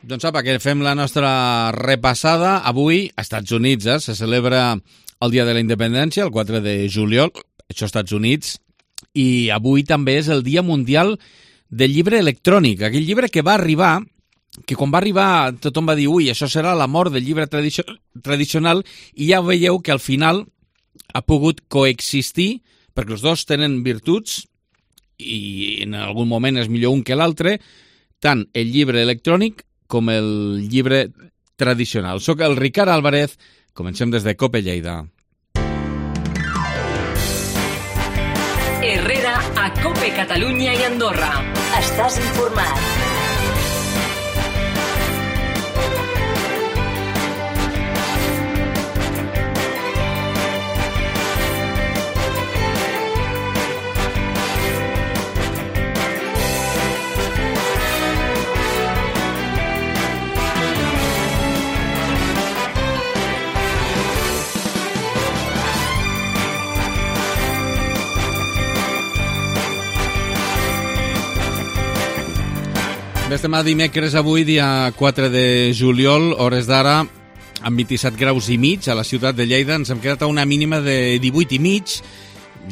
Doncs apa, que fem la nostra repassada. Avui, als Estats Units, se celebra el Dia de la Independència, el 4 de juliol, això als Estats Units, i avui també és el Dia Mundial del Llibre Electrònic, aquell llibre que va arribar, que quan va arribar tothom va dir, ui, això serà la mort del llibre tradicional, i ja veieu que al final ha pogut coexistir, perquè els dos tenen virtuts, i en algun moment és millor un que l'altre, tant el llibre electrònic com el llibre tradicional. Soc el Ricard Álvarez, comencem des de COPE Lleida. Herrera a COPE Catalunya i Andorra. Estàs informat. Estem a dimecres avui, dia 4 de juliol, hores d'ara, amb 27 graus i mig a la ciutat de Lleida. Ens hem quedat a una mínima de 18 i mig,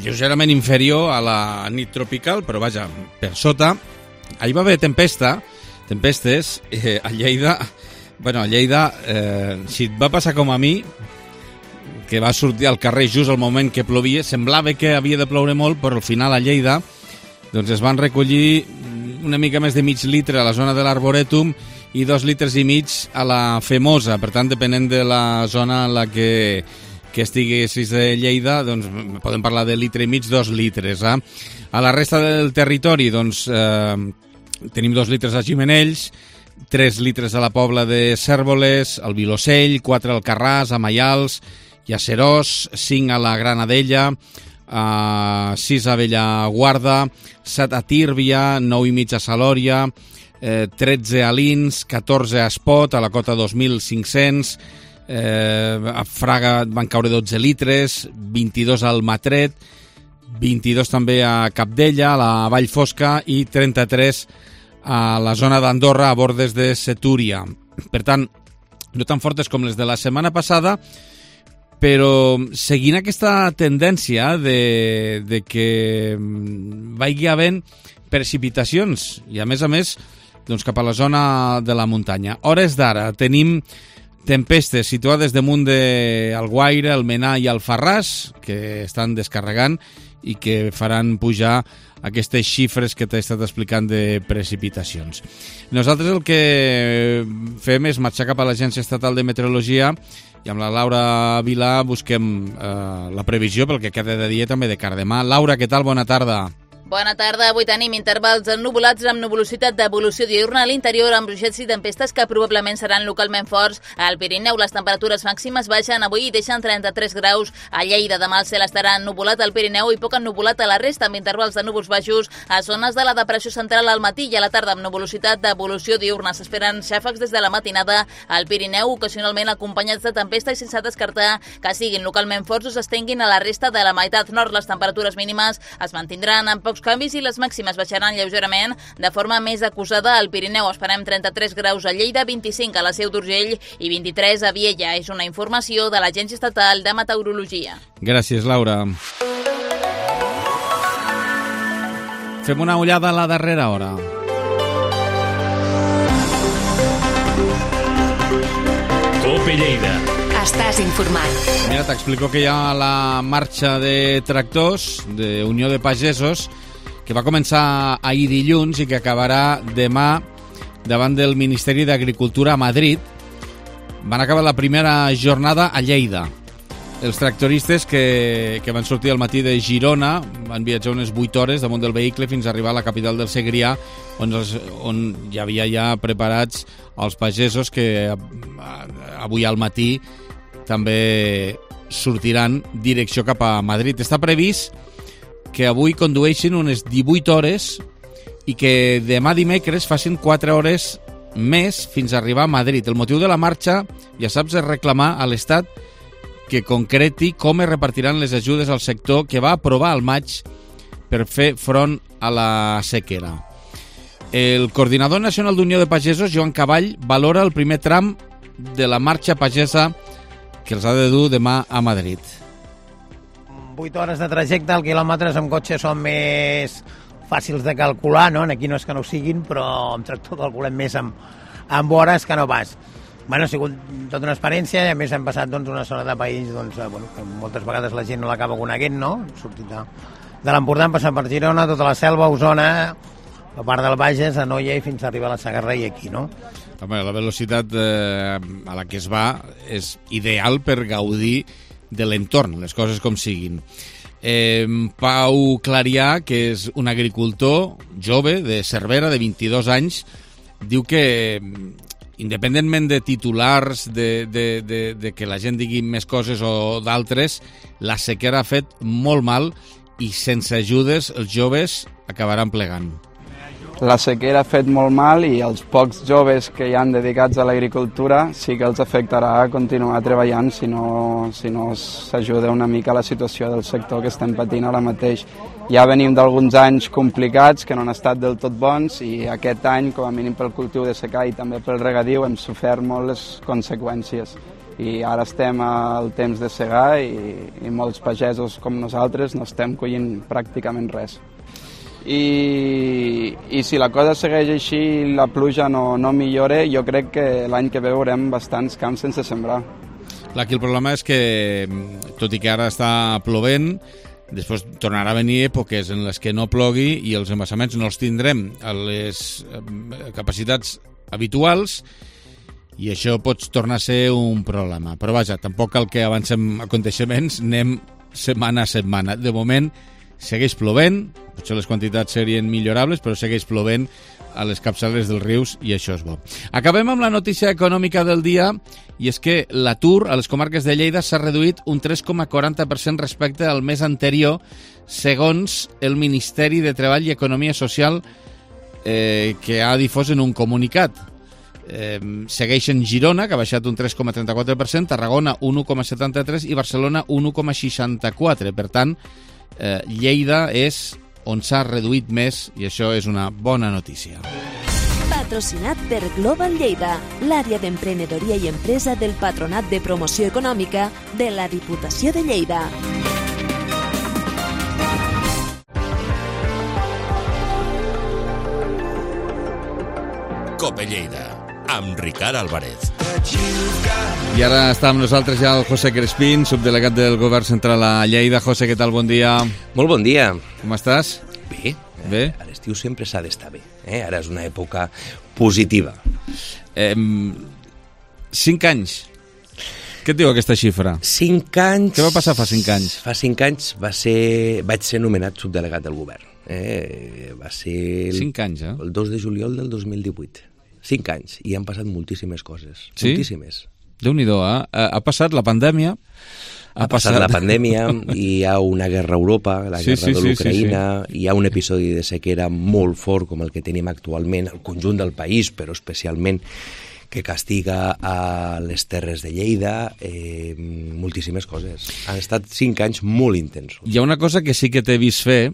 lleugerament inferior a la nit tropical, però vaja, per sota. Ahir va haver tempestes a Lleida. Bueno, a Lleida, si et va passar com a mi, que va sortir al carrer just al moment que plovia, semblava que havia de ploure molt, però al final a Lleida doncs es van recollir una mica més de mig litre a la zona de l'Arborètum i 2 litres i mig a la Femosa. Per tant, depenent de la zona en la que estiguessis de Lleida, doncs podem parlar de litre i mig, 2 litres. A la resta del territori, doncs, tenim 2 litres a Gimenells, 3 litres a la Pobla de Cérvoles, al Vilosell, 4 al Carràs, a Maials i a Serós, 5 a la Granadella, 6 a Bellaguarda, 7 a Tírvia, 9 i mig a Salòria, 13 a Lins, 14 a Espot, a la cota 2.500, a Fraga van caure 12 litres, 22 al Matret, 22 també a Capdella, a la Vall Fosca, i 33 a la zona d'Andorra, a Bordes de Setúria. Per tant, no tan fortes com les de la setmana passada, però seguint aquesta tendència de que vagi havent precipitacions i a més doncs cap a la zona de la muntanya. Hores d'ara tenim tempestes situades damunt d'Alguaire, Almenar i Alfarràs, que estan descarregant i que faran pujar aquestes xifres que t'he estat explicant de precipitacions. Nosaltres el que fem és marxar cap a l'Agència Estatal de Meteorologia i amb la Laura Vilà busquem la previsió pel que queda de dia també de cara demà. Laura, què tal? Bona tarda. Bona tarda. Avui tenim intervals ennuvolats amb nuvolositat d'evolució diurna a l'interior amb ruixats i tempestes que probablement seran localment forts. Al Pirineu les temperatures màximes baixen avui i deixen 33 graus. A Lleida demà el cel estarà ennuvolat al Pirineu i poc ennuvolat a la resta amb intervals de núvols baixos a zones de la depressió central al matí i a la tarda amb nuvolositat d'evolució diurna. S'esperen xàfecs des de la matinada al Pirineu, ocasionalment acompanyats de tempesta i sense descartar que siguin localment forts o s'estenguin a la resta de la meitat nord. Les temperatures mínimes es mantindran amb pocs canvis i les màximes baixaran lleugerament de forma més acusada al Pirineu. Esperem 33 graus a Lleida, 25 a la Seu d'Urgell i 23 a Viella. És una informació de l'Agència Estatal de Meteorologia. Gràcies, Laura. Fem una ullada a la darrera hora. COPE Lleida. Estàs informat. Mira, t'explico que hi ha la marxa de tractors de Unió de Pagesos que va començar ahir dilluns i que acabarà demà davant del Ministeri d'Agricultura a Madrid. Van acabar la primera jornada a Lleida. Els tractoristes que van sortir al matí de Girona van viatjar unes 8 hores damunt del vehicle fins a arribar a la capital del Segrià, on hi havia ja preparats els pagesos que avui al matí també sortiran direcció cap a Madrid. Està previst que avui condueixin unes 18 hores i que demà dimecres facin 4 hores més fins a arribar a Madrid. El motiu de la marxa, ja saps, és reclamar a l'Estat que concreti com es repartiran les ajudes al sector que va aprovar al maig per fer front a la sequera. El coordinador nacional d'Unió de Pagesos, Joan Caball, valora el primer tram de la marxa pagesa que els ha de dur demà a Madrid. 8 hores de trajecte, els quilòmetres amb cotxe són més fàcils de calcular, no? Aquí no és que no ho siguin, però amb tractor calculem més amb hores que no pas. Bueno, ha sigut tota una experiència i a més hem passat una zona de país que moltes vegades la gent no l'acaba coneguent, no? Hem sortit de l'Empordà, hem passat per Girona, tota la Selva, Osona, la part del Bages, Anoia i fins a arribar a la Segarra i aquí, no? Home, la velocitat a la que es va és ideal per gaudir de l'entorn, les coses com siguin. Pau Clarià, que és un agricultor jove de Cervera, de 22 anys, diu que independentment de titulars, de que la gent digui més coses o d'altres, la sequera ha fet molt mal i sense ajudes els joves acabaran plegant. La sequera ha fet molt mal i els pocs joves que hi han dedicats a l'agricultura sí que els afectarà a continuar treballant si no s'ajuda una mica a la situació del sector que estem patint ara mateix. Ja venim d'alguns anys complicats que no han estat del tot bons i aquest any, com a mínim pel cultiu de secà i també pel regadiu, hem sofert molt les conseqüències. I ara estem al temps de segar i molts pagesos com nosaltres no estem collint pràcticament res. I si la cosa segueix així i la pluja no millora, jo crec que l'any que ve veurem bastants camps sense sembrar. Clar, aquí el problema és que, tot i que ara està plovent, després tornarà a venir èpoques en les que no plogui i els embassaments no els tindrem a les capacitats habituals i això pot tornar a ser un problema. Però vaja, tampoc cal que avancem aconteixements, anem setmana a setmana. De moment segueix plovent, potser les quantitats serien millorables, però segueix plovent a les capçaleres dels rius i això és bo. Acabem amb la notícia econòmica del dia i és que l'atur a les comarques de Lleida s'ha reduït un 3,40% respecte al mes anterior, segons el Ministeri de Treball i Economia Social que ha difós en un comunicat. Segueixen Girona, que ha baixat un 3,34%, Tarragona un 1,73% i Barcelona un 1,64%. Per tant, Lleida és on s'ha reduït més i això és una bona notícia. Patrocinat per Global Lleida, l'àrea d'emprenedoria i empresa del Patronat de Promoció Econòmica de la Diputació de Lleida. Cope Lleida, amb Ricard Álvarez. I ara està amb nosaltres ja el José Crespín, subdelegat del Govern Central a Lleida. José, què tal? Bon dia. Molt bon dia. Com estàs? Bé. Bé? A l'estiu sempre s'ha d'estar bé. Ara és una època positiva. 5 anys. Què et diu aquesta xifra? 5 anys... Què va passar fa 5 anys? Fa 5 anys vaig ser nomenat subdelegat del govern. Va ser 5 anys, el 2 de juliol del 2018. 5 anys, i han passat moltíssimes coses. Sí? Moltíssimes. Déu-n'hi-do, ha passat la pandèmia... Ha passat la pandèmia, hi ha una guerra a Europa, la guerra de l'Ucraïna, hi ha un episodi de sequera molt fort com el que tenim actualment, al conjunt del país, però especialment que castiga a les terres de Lleida, moltíssimes coses. Han estat 5 anys molt intensos. Hi ha una cosa que sí que t'he vist fer,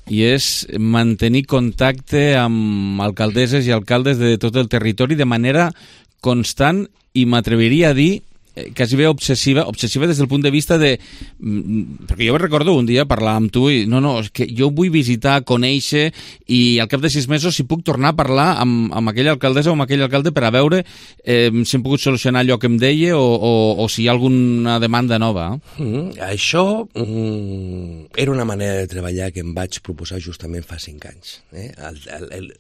i és mantenir contacte amb alcaldesses i alcaldes de tot el territori de manera constant i m'atreviria a dir quasi bé obsessiva des del punt de vista de... Perquè jo recordo un dia parlar amb tu i és que jo vull visitar, conèixer i al cap de 6 mesos si puc tornar a parlar amb aquella alcaldessa o amb aquell alcalde per a veure si hem pogut solucionar allò que em deia o si hi ha alguna demanda nova. Això era una manera de treballar que em vaig proposar justament fa 5 anys.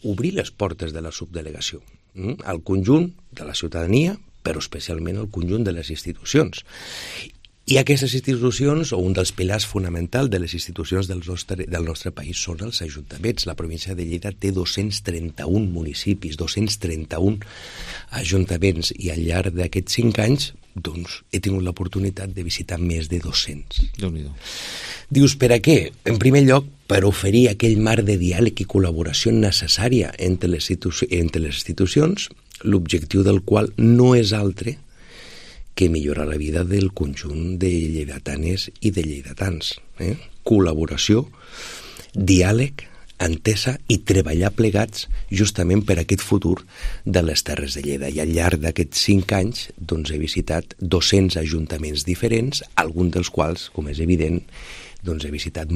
Obrir les portes de la subdelegació al conjunt de la ciutadania, però especialment el conjunt de les institucions. I aquestes institucions, o un dels pilars fonamentals de les institucions del nostre país, són els ajuntaments. La província de Lleida té 231 municipis, 231 ajuntaments, i al llarg d'aquests 5 anys doncs, he tingut l'oportunitat de visitar més de 200. Déu-n'hi-do. Dius, per a què? En primer lloc, per oferir aquell marc de diàleg i col·laboració necessària entre les institucions, l'objectiu del qual no és altre que millorar la vida del conjunt de lleidatanes i de lleidatans. Col·laboració, diàleg, entesa i treballar plegats justament per aquest futur de les Terres de Lleida. I al llarg d'aquests 5 anys doncs, he visitat 200 ajuntaments diferents, alguns dels quals, com és evident, doncs he visitat,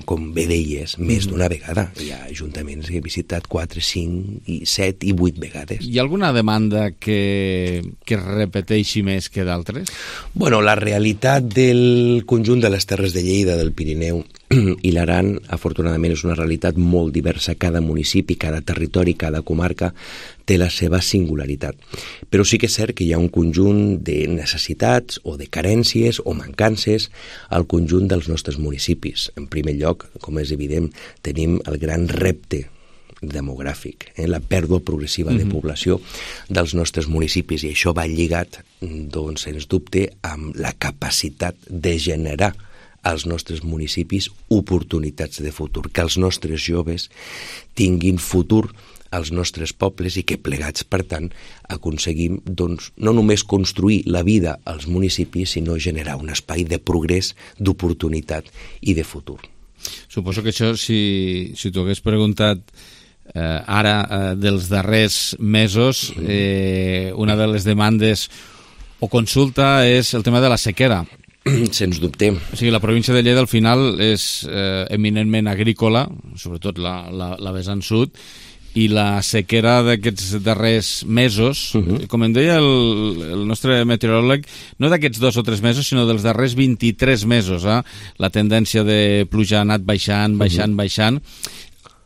com bé deies, més d'una vegada. Hi ha ajuntaments que he visitat 4, 5, 7 i 8 vegades. Hi ha alguna demanda que repeteixi més que d'altres? Bueno, la realitat del conjunt de les Terres de Lleida, del Pirineu i l'Aran, afortunadament, és una realitat molt diversa. Cada municipi, cada territori, cada comarca té la seva singularitat. Però sí que és cert que hi ha un conjunt de necessitats o de carències o mancances al conjunt dels nostres municipis. En primer lloc, com és evident, tenim el gran repte demogràfic, la pèrdua progressiva de població dels nostres municipis, i això va lligat, doncs, sens dubte, amb la capacitat de generar als nostres municipis oportunitats de futur, que els nostres joves tinguin futur als nostres pobles i que plegats, per tant, aconseguim doncs, no només construir la vida als municipis, sinó generar un espai de progrés, d'oportunitat i de futur. Suposo que això, si t'ho hagués preguntat ara dels darrers mesos, una de les demandes o consulta és el tema de la sequera. Sens dubte. O sigui, la província de Lleida al final és eminentment agrícola, sobretot la vessant sud, i la sequera d'aquests darrers mesos, com em deia el nostre meteoròleg, no d'aquests 2 o 3 mesos, sinó dels darrers 23 mesos, la tendència de pluja ha anat baixant,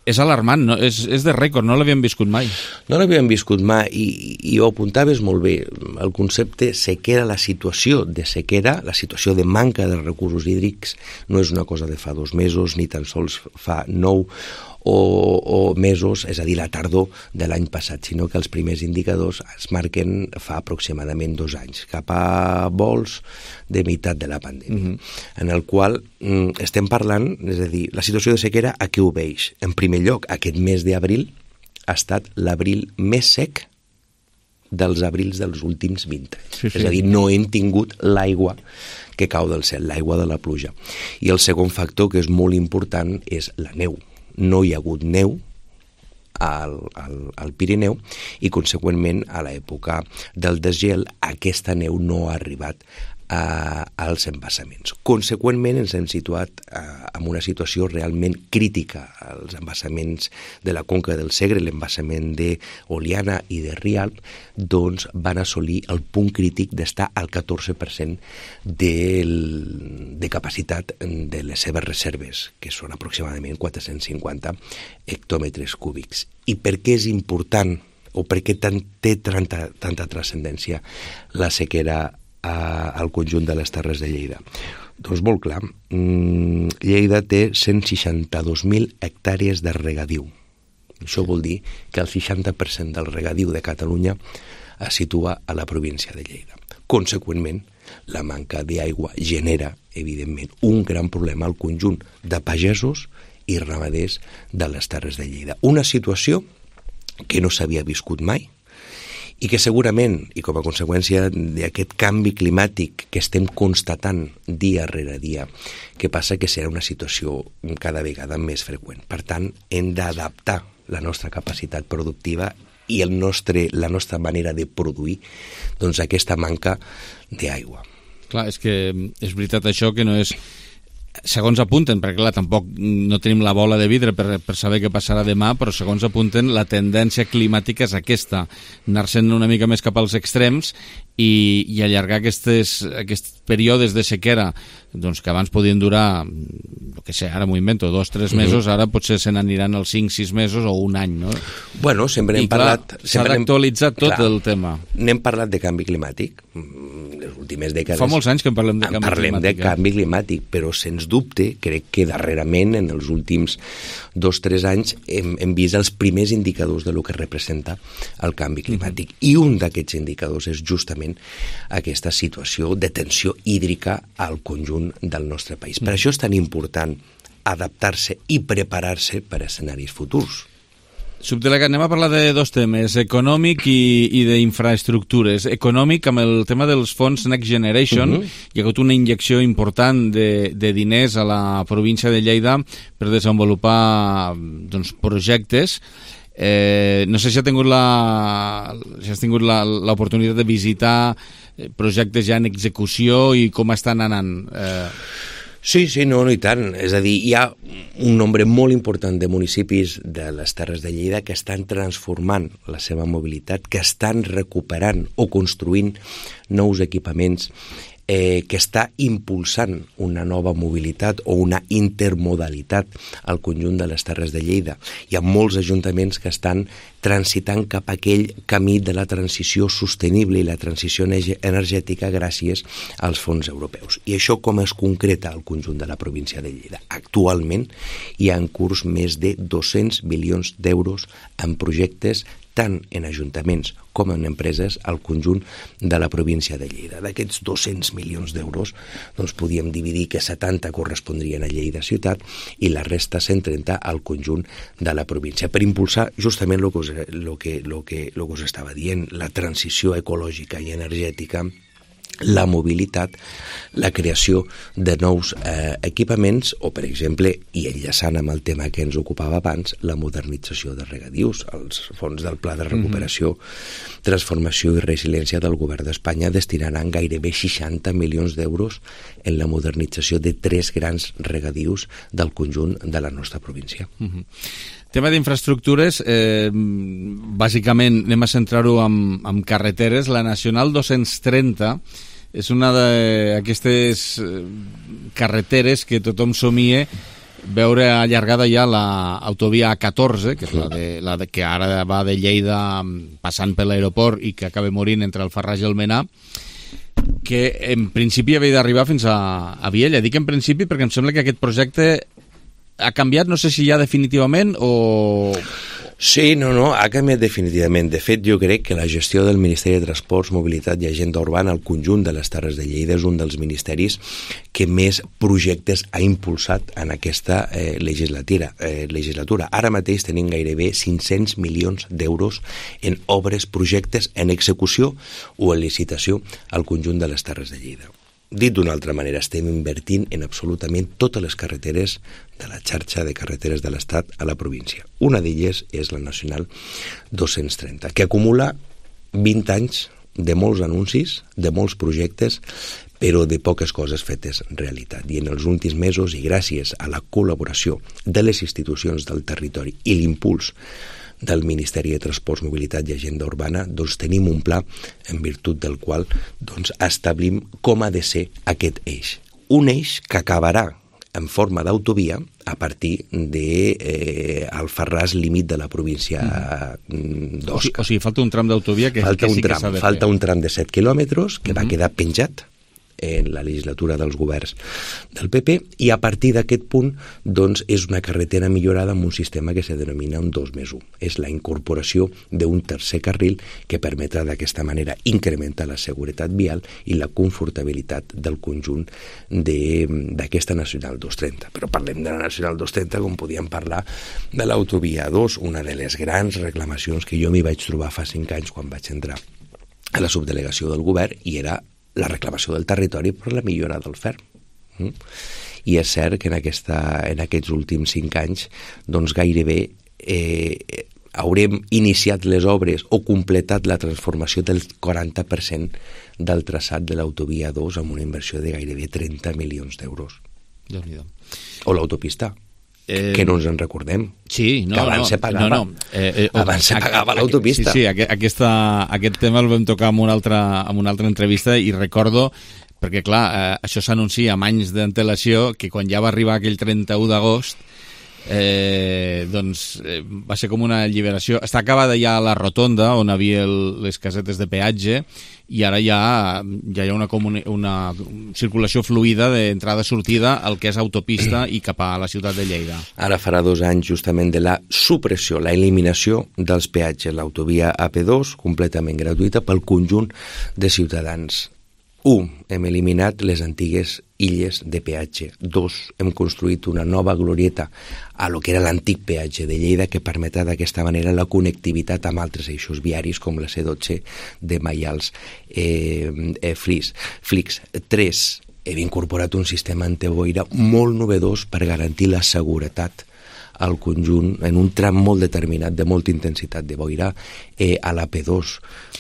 és alarmant, no? És de rècord, no l'havíem viscut mai. No l'havíem viscut mai, i ho apuntaves molt bé. El concepte sequera, la situació de sequera, la situació de manca de recursos hídrics, no és una cosa de fa 2 mesos, ni tan sols fa 9 o mesos, és a dir, la tardor de l'any passat, sinó que els primers indicadors es marquen fa aproximadament 2 anys, cap a vols de meitat de la pandèmia, en el qual estem parlant, és a dir, la situació de sequera a què obeix? En primer lloc, aquest mes d'abril ha estat l'abril més sec dels abrils dels últims 20 anys. És a dir, no hem tingut l'aigua que cau del cel, l'aigua de la pluja. I el segon factor, que és molt important, és la neu. No hi ha hagut neu al Pirineu i, conseqüentment, a l'època del desgel, aquesta neu no ha arribat als embassaments. Conseqüentment, ens hem situat en una situació realment crítica. Els embassaments de la conca del Segre, l'embassament d'Oliana i de Rialp, doncs van assolir el punt crític d'estar al 14% de capacitat de les seves reserves, que són aproximadament 450 hectòmetres cúbics. I per què és important, o per què té tanta transcendència la sequera al conjunt de les Terres de Lleida? Doncs molt clar, Lleida té 162.000 hectàrees de regadiu. Això vol dir que el 60% del regadiu de Catalunya es situa a la província de Lleida. Conseqüentment, la manca d'aigua genera, evidentment, un gran problema al conjunt de pagesos i ramaders de les Terres de Lleida. Una situació que no s'havia viscut mai, i que segurament, i com a conseqüència d'aquest canvi climàtic que estem constatant dia rere dia, que passa que serà una situació cada vegada més freqüent. Per tant, hem d'adaptar la nostra capacitat productiva i la nostra manera de produir, doncs, aquesta manca d'aigua. Clar, és que és veritat això, que no és... Segons apunten, perquè clar, tampoc no tenim la bola de vidre per saber què passarà demà, però segons apunten la tendència climàtica és aquesta, anar-se'n una mica més cap als extrems i allargar aquests períodes de sequera, doncs, que abans podien durar, el que sé, ara m'ho invento, 2-3 mesos, ara potser se n'aniran els 5-6 mesos o un any, no? Bueno, sempre hem parlat... S'ha d'actualitzar tot el tema. N'hem parlat de canvi climàtic, les últimes dècades... Fa molts anys que en parlem de canvi climàtic. Parlem de canvi climàtic, però sens dubte, crec que darrerament, en els últims 2-3 anys, hem vist els primers indicadors de lo que representa el canvi climàtic. I un d'aquests indicadors és justament aquesta situació de tensió hídrica al conjunt del nostre país. Per això és tan important adaptar-se i preparar-se per a escenaris futurs. Subdelegat, anem a parlar de dos temes, econòmic i d'infraestructures. Econòmic, amb el tema dels fons Next Generation, hi ha hagut una injecció important de diners a la província de Lleida per desenvolupar projectes. No sé si has tingut l'oportunitat de visitar projectes ja en execució i com estan anant. Sí, no, i tant. És a dir, hi ha un nombre molt important de municipis de les Terres de Lleida que estan transformant la seva mobilitat, que estan recuperant o construint nous equipaments, que està impulsant una nova mobilitat o una intermodalitat al conjunt de les Terres de Lleida. Hi ha molts ajuntaments que estan transitant cap a aquell camí de la transició sostenible i la transició energètica gràcies als fons europeus. I això com es concreta al conjunt de la província de Lleida? Actualment hi ha en curs més de 200 milions d'euros en projectes tant en ajuntaments com en empreses al conjunt de la província de Lleida. D'aquests 200 milions d'euros, doncs podíem dividir que 70 correspondrien a Lleida ciutat i la resta 130 al conjunt de la província, per impulsar justament el que us estava dient, la transició ecològica i energètica, la mobilitat, la creació de nous equipaments o, per exemple, i enllaçant amb el tema que ens ocupava abans, la modernització de regadius. Els fons del Pla de Recuperació, Transformació i Resiliència del Govern d'Espanya destinaran gairebé 60 milions d'euros en la modernització de 3 grans regadius del conjunt de la nostra província. Tema d'infraestructures, bàsicament anem a centrar-ho amb carreteres. La Nacional 230 és una d'aquestes carreteres que tothom somia veure allargada ja l'autovia A14, que és la que ara va de Lleida passant per l'aeroport i que acaba morint entre el Farràs i el Menà, que en principi havia d'arribar fins a Viella. Dic en principi perquè em sembla que aquest projecte ha canviat, no sé si ja definitivament o... Sí, no, ha canviat definitivament. De fet, jo crec que la gestió del Ministeri de Transports, Mobilitat i Agenda Urbana al conjunt de les Terres de Lleida és un dels ministeris que més projectes ha impulsat en aquesta legislatura. Ara mateix tenim gairebé 500 milions d'euros en obres, projectes en execució o en licitació al conjunt de les Terres de Lleida. Dit d'una altra manera, estem invertint en absolutament totes les carreteres de la xarxa de carreteres de l'Estat a la província. Una d'elles és la Nacional 230, que acumula 20 anys de molts anuncis, de molts projectes, però de poques coses fetes realitat. I en els últims mesos, i gràcies a la col·laboració de les institucions del territori i l'impuls del Ministeri de Transports, Mobilitat i Agenda Urbana, doncs tenim un pla en virtut del qual doncs establim com ha de ser aquest eix. Un eix que acabarà en forma d'autovia a partir del Farràs, límit de la província d'Osca. O sigui, falta un tram d'autovia que sí que s'ha de fer. Falta un tram de 7 quilòmetres que va quedar penjat en la legislatura dels governs del PP, i a partir d'aquest punt doncs, és una carretera millorada amb un sistema que se denomina un 2+1. És la incorporació d'un tercer carril que permetrà d'aquesta manera incrementar la seguretat vial i la confortabilitat del conjunt d'aquesta Nacional 230. Però parlem de la Nacional 230 com podíem parlar de l'autovia 2, una de les grans reclamacions que jo m'hi vaig trobar fa 5 anys quan vaig entrar a la subdelegació del govern, i era la reclamació del territori per la millora del ferm. I és cert que en aquests últims 5 anys doncs gairebé haurem iniciat les obres o completat la transformació del 40% del traçat de l'autovia 2 amb una inversió de gairebé 30 milions d'euros. O l'autopista, que no ens en recordem, que abans se pagava. Abans se pagava l'autopista. Sí, aquest tema el vam tocar en una altra entrevista, i recordo, perquè clar, això s'anuncia amb anys d'antelació, que quan ja va arribar aquell 31 d'agost, va ser com una alliberació. Està acabada ja la rotonda on havia les casetes de peatge, i ara ja hi ha una circulació fluida d'entrada-sortida al que és autopista i cap a la ciutat de Lleida. Ara farà 2 anys justament de la supressió, la eliminació dels peatges, l'autovia AP2 completament gratuïta pel conjunt de ciutadans hem eliminat les antigues illes de peatge. 2, hem construït una nova glorieta a lo que era l'antic peatge de Lleida que permetrà d'aquesta manera la connectivitat amb altres eixos viaris com la C12 de Maials Flix. 3, hem incorporat un sistema antiboira molt novedós per garantir la seguretat al conjunt en un tram molt determinat de molta intensitat de boira a la P2.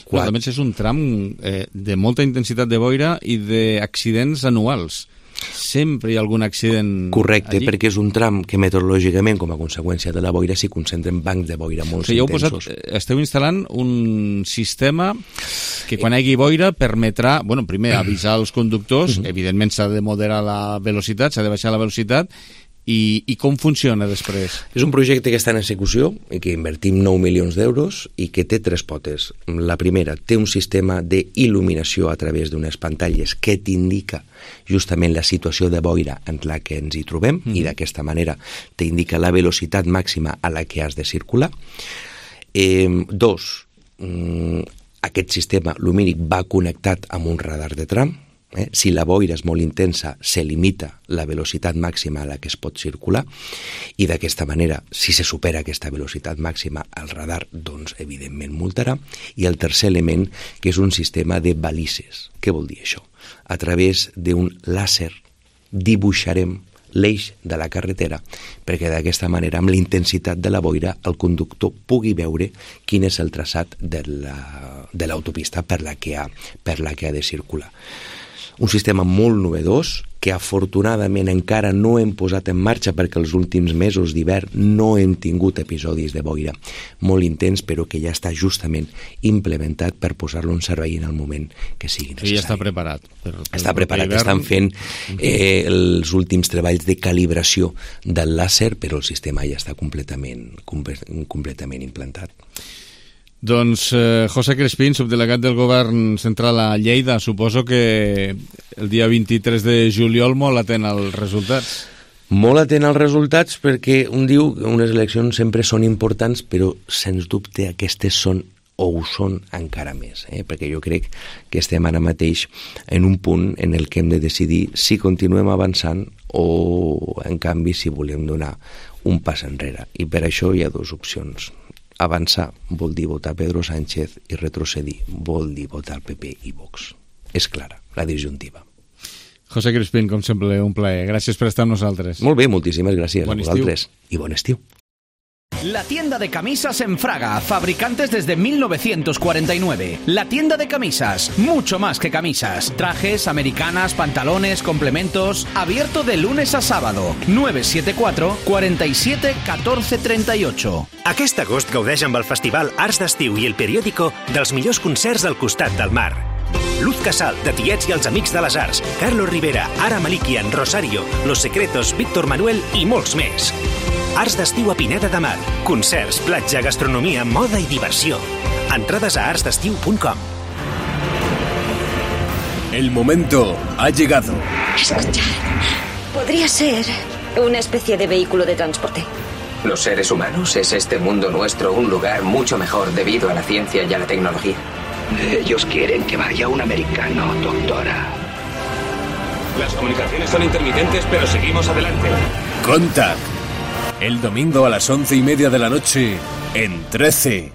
Però a més és un tram de molta intensitat de boira i d'accidents anuals. Sempre hi ha algun accident. Correcte, allí. perquè és un tram que meteorològicament, com a conseqüència de la boira, s'hi concentren bancs de boira molt intensos. Esteu instal·lant un sistema que quan hi hagi boira permetrà, primer avisar els conductors, evidentment s'ha de moderar la velocitat, s'ha de baixar la velocitat, i com funciona després? És un projecte que està en execució i que invertim 9 milions d'euros i que té 3 potes. La primera, té un sistema d'il·luminació a través d'unes pantalles que t'indica justament la situació de boira en la que ens hi trobem i d'aquesta manera t'indica la velocitat màxima a la que has de circular. 2, aquest sistema lumínic va connectat amb un radar de tram. Si la boira és molt intensa, se limita la velocitat màxima a la que es pot circular i d'aquesta manera, si se supera aquesta velocitat màxima, el radar, doncs, evidentment, multarà. I el tercer element, que és un sistema de balises. Què vol dir això? A través d'un làser dibuixarem l'eix de la carretera perquè d'aquesta manera, amb la intensitat de la boira, el conductor pugui veure quin és el traçat de l'autopista per la que ha de circular. Un sistema molt novedós que afortunadament encara no hem posat en marxa perquè els últims mesos d'hivern no hem tingut episodis de boira molt intens, però que ja està justament implementat per posar-lo en servei en el moment que sigui necessari. Ja està preparat. Està preparat, estan fent els últims treballs de calibració del làser, però el sistema ja està completament implantat. Doncs José Crespín, subdelegat del Govern Central a Lleida, suposo que el dia 23 de juliol molt atent als resultats. Molt atent als resultats perquè un diu que unes eleccions sempre són importants, però sens dubte aquestes són o ho són encara més, perquè jo crec que estem ara mateix en un punt en el que hem de decidir si continuem avançant o, en canvi, si volem donar un pas enrere. I per això hi ha 2 opcions. Avançar vol dir votar Pedro Sánchez i retrocedir vol dir votar PP i Vox. És clara, la disjuntiva. José Crespín, com sempre, un plaer. Gràcies per estar amb nosaltres. Molt bé, moltíssimes gràcies a vosaltres. I bon estiu. La tienda de camisas en Fraga, fabricantes desde 1949. La tienda de camisas, mucho más que camisas. Trajes, americanas, pantalones, complementos. Abierto de lunes a sábado. 974 47 14 38. Aquest agost gaudeix amb el Festival Arts d'Estiu i el Periódico dels millors concerts al costat del mar. Luz Casal, de Tiets i els Amics de les Arts, Carlos Rivera, Ara Malikian, Rosario, Los Secretos, Víctor Manuel i molts més. Arts d'Estiu a Pineda de Mar. Concerts, platja, gastronomia, moda i diversió. Entrades a artsdestiu.com. El momento ha llegado. Escuchad, podría ser una especie de vehículo de transporte. Los seres humanos, ¿es este mundo nuestro un lugar mucho mejor debido a la ciencia y a la tecnología? Ellos quieren que vaya un americano, doctora. Las comunicaciones son intermitentes, pero seguimos adelante. Contact. El domingo a las 11:30 de la noche en 13.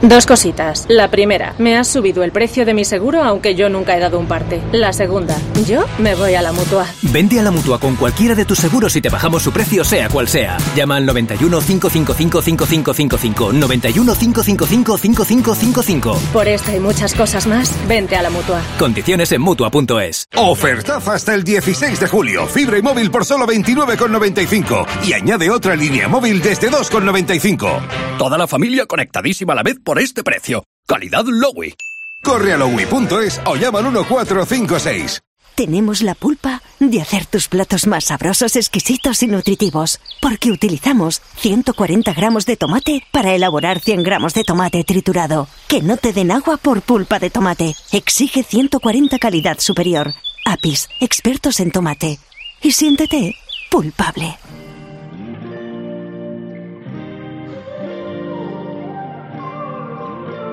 2 cositas. La primera, me has subido el precio de mi seguro aunque yo nunca he dado un parte. La segunda, yo me voy a la Mutua. Vente a la Mutua con cualquiera de tus seguros y te bajamos su precio sea cual sea. Llama al 91 555 5555. 91 555 5555. Por esta y muchas cosas más, vente a la Mutua. Condiciones en Mutua.es. Ofertaza hasta el 16 de julio. Fibra y móvil por solo 29,95. Y añade otra línea móvil desde 2,95. Toda la familia conectadísima a la vez por este precio. Calidad Lowy. Corre a lowy.es o llama al 1456. Tenemos la pulpa de hacer tus platos más sabrosos, exquisitos y nutritivos, porque utilizamos 140 gramos de tomate para elaborar 100 gramos de tomate triturado. Que no te den agua por pulpa de tomate. Exige 140 calidad superior. Apis, expertos en tomate. Y siéntete pulpable.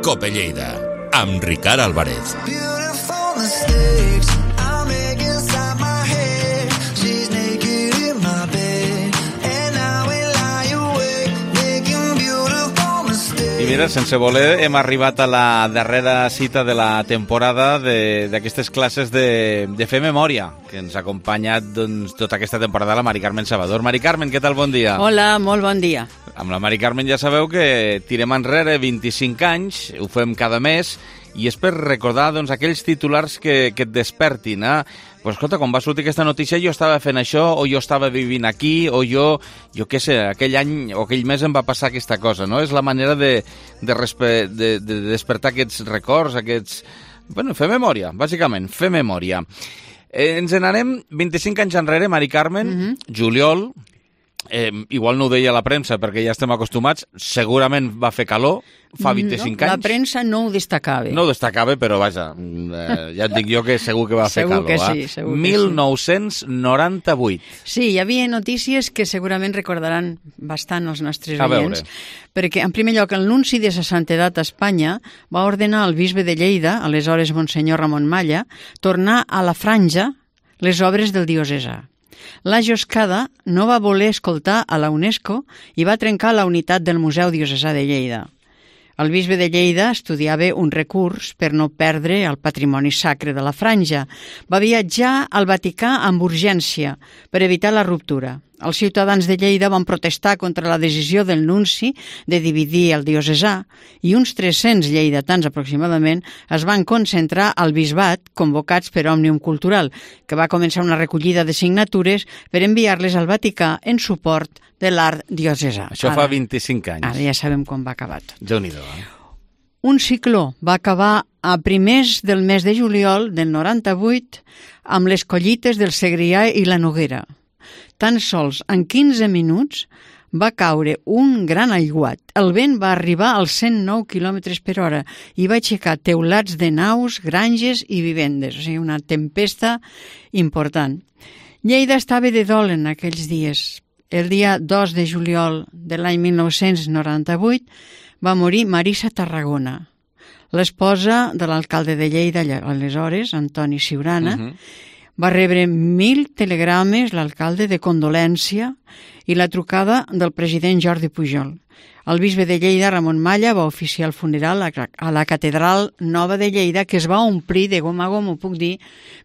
Cope Lleida, amb Ricard Álvarez. I mira, sense voler hem arribat a la darrera cita de la temporada d'aquestes classes de fer memòria, que ens ha acompanyat tota aquesta temporada la Mari Carmen Salvador. Mari Carmen, què tal? Bon dia. Hola, molt bon dia. Amb la Mari Carmen ja sabeu que tirem enrere 25 anys, ho fem cada mes, i és per recordar aquells titulars que et despertin. Pues escolta, quan va sortir aquesta notícia jo estava fent això, o jo estava vivint aquí, o jo què sé, aquell any o aquell mes em va passar aquesta cosa, no? És la manera de despertar aquests records, fer memòria, bàsicament, fer memòria. Ens n'anem 25 anys enrere, Mari Carmen, juliol, igual no ho deia la premsa perquè ja estem acostumats, segurament va fer calor, fa 25 anys. La premsa no ho destacava. No ho destacava, però vaja, ja et dic jo que segur que va fer calor. Segur que sí, segur que 1998. Sí, hi havia notícies que segurament recordaran bastant els nostres oients, perquè en primer lloc el nunci de sa santedat a Espanya va ordenar al bisbe de Lleida, aleshores Monsenyor Ramon Malla, tornar a la franja les obres del diocesà. La Joscada no va voler escoltar a la UNESCO i va trencar la unitat del Museu Diocesà de Lleida. El bisbe de Lleida estudiava un recurs per no perdre el patrimoni sacre de la franja. Va viatjar al Vaticà amb urgència per evitar la ruptura. Els ciutadans de Lleida van protestar contra la decisió del nunci de dividir el diocesà i uns 300 lleidatans aproximadament es van concentrar al bisbat convocats per Òmnium Cultural, que va començar una recollida de signatures per enviar-les al Vaticà en suport de l'art diocesà. Això fa 25 anys. Ara ja sabem com va acabar tot. Déu-n'hi-do, Un cicló va acabar a primers del mes de juliol del 98 amb les collites del Segrià i la Noguera. Tan sols en 15 minuts va caure un gran aiguat. El vent va arribar als 109 km per hora i va aixecar teulats de naus, granges i vivendes. O sigui, una tempesta important. Lleida estava de dol en aquells dies. El dia 2 de juliol de l'any 1998 va morir Marisa Tarragona, l'esposa de l'alcalde de Lleida, aleshores, Antoni Siurana. Va rebre 1.000 telegrames l'alcalde de condolència i la trucada del president Jordi Pujol. El bisbe de Lleida, Ramon Malla, va oficiar el funeral a la Catedral Nova de Lleida, que es va omplir de gom a gom, ho puc dir,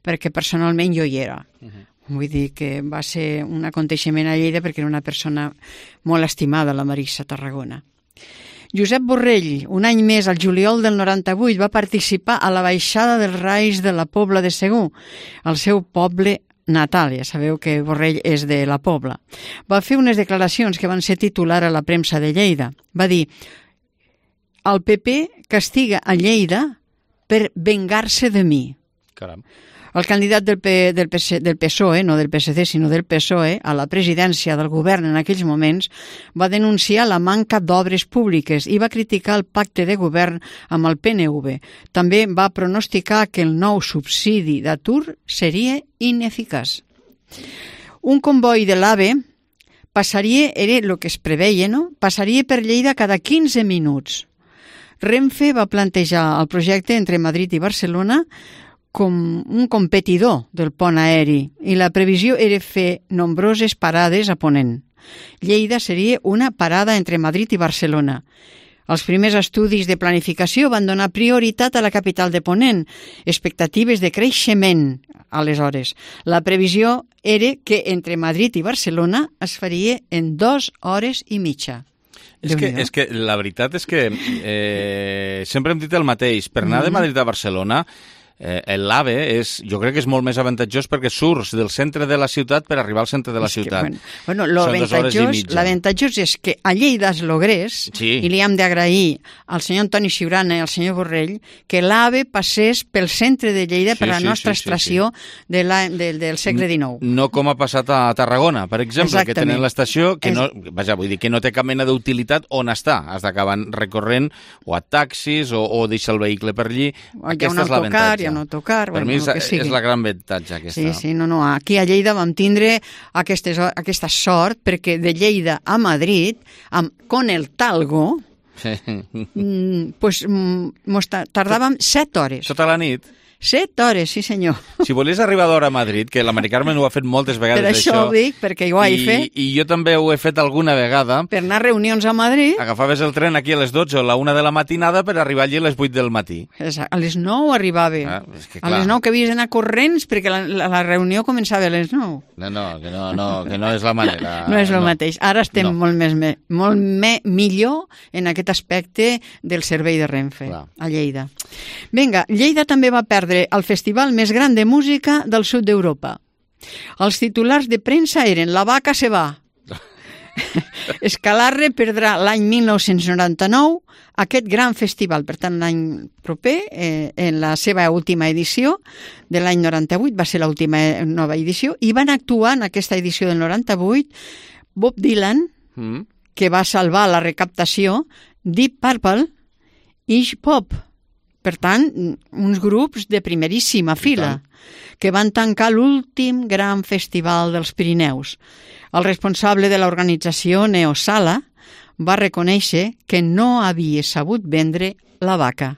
perquè personalment jo hi era. Vull dir que va ser un aconteixement a Lleida perquè era una persona molt estimada, la Marisa Tarragona. Josep Borrell, un any més, al juliol del 98, va participar a la baixada dels Rais de la Pobla de Segur, el seu poble natal. Ja sabeu que Borrell és de la Pobla. Va fer unes declaracions que van ser titular a la premsa de Lleida. Va dir: el PP castiga a Lleida per vengar-se de mi. Caram. El candidat del PSOE, no del PSC, sinó del PSOE, a la presidència del govern en aquells moments, va denunciar la manca d'obres públiques i va criticar el pacte de govern amb el PNV. També va pronosticar que el nou subsidi d'atur seria ineficaç. Un comboi de l'AVE passaria, era el que es preveia, no? Passaria per Lleida cada 15 minuts. Renfe va plantejar el projecte entre Madrid i Barcelona com un competidor del pont aeri i la previsió era fer nombroses parades a Ponent. Lleida seria una parada entre Madrid i Barcelona. Els primers estudis de planificació van donar prioritat a la capital de Ponent, expectatives de creixement aleshores. La previsió era que entre Madrid i Barcelona es faria en 2 hores i mitja. És que la veritat és que sempre hem dit el mateix. Per anar de Madrid a Barcelona, l'AVE jo crec que és molt més avantatjós perquè surts del centre de la ciutat per arribar al centre de la ciutat. Bueno, l'avantatjós és que a Lleida es logrés, i li hem d'agrair al senyor Antoni Siurana i al senyor Borrell, que l'AVE passés pel centre de Lleida per la nostra estació del segle XIX. No com ha passat a Tarragona, per exemple, que tenen l'estació que no, vull dir que no té cap mena d'utilitat on està. Has d'acabar recorrent o a taxis o deixar el vehicle per allí. Aquesta és l'avantatge. no tocar... Per mi és la gran avantatge aquesta. Sí, no. Aquí a Lleida vam tindre aquesta sort perquè de Lleida a Madrid, con el Talgo, pues tardàvem 7 hores. Tota la nit? 7 hores, sí senyor. Si volies arribar d'hora a Madrid, que la Mari Carmen ho ha fet moltes vegades, Per això ho dic, perquè jo ho he fet. I jo també ho he fet alguna vegada. Per anar a reunions a Madrid. Agafaves el tren aquí a les 12 o a la 1 de la matinada per arribar allí a les 8 del matí. Exacte. A les 9 arribava. A les 9 que havies d'anar corrents perquè la reunió començava a les 9. Que no és la manera. No és el mateix. Ara estem molt millor en aquest aspecte del servei de Renfe a Lleida. Vinga, Lleida també va perdre el festival més gran de música del sud d'Europa. Els titulars de premsa eren La vaca se va. Escalarre perdrà l'any 1999 aquest gran festival. Per tant, l'any proper, en la seva última edició de l'any 98, va ser l'última nova edició, i van actuar en aquesta edició del 98 Bob Dylan, que va salvar la recaptació, Deep Purple i Iggy Pop. Per tant, uns grups de primeríssima fila que van tancar l'últim gran festival dels Pirineus. El responsable de l'organització, Neo Sala, va reconèixer que no havia sabut vendre la vaca.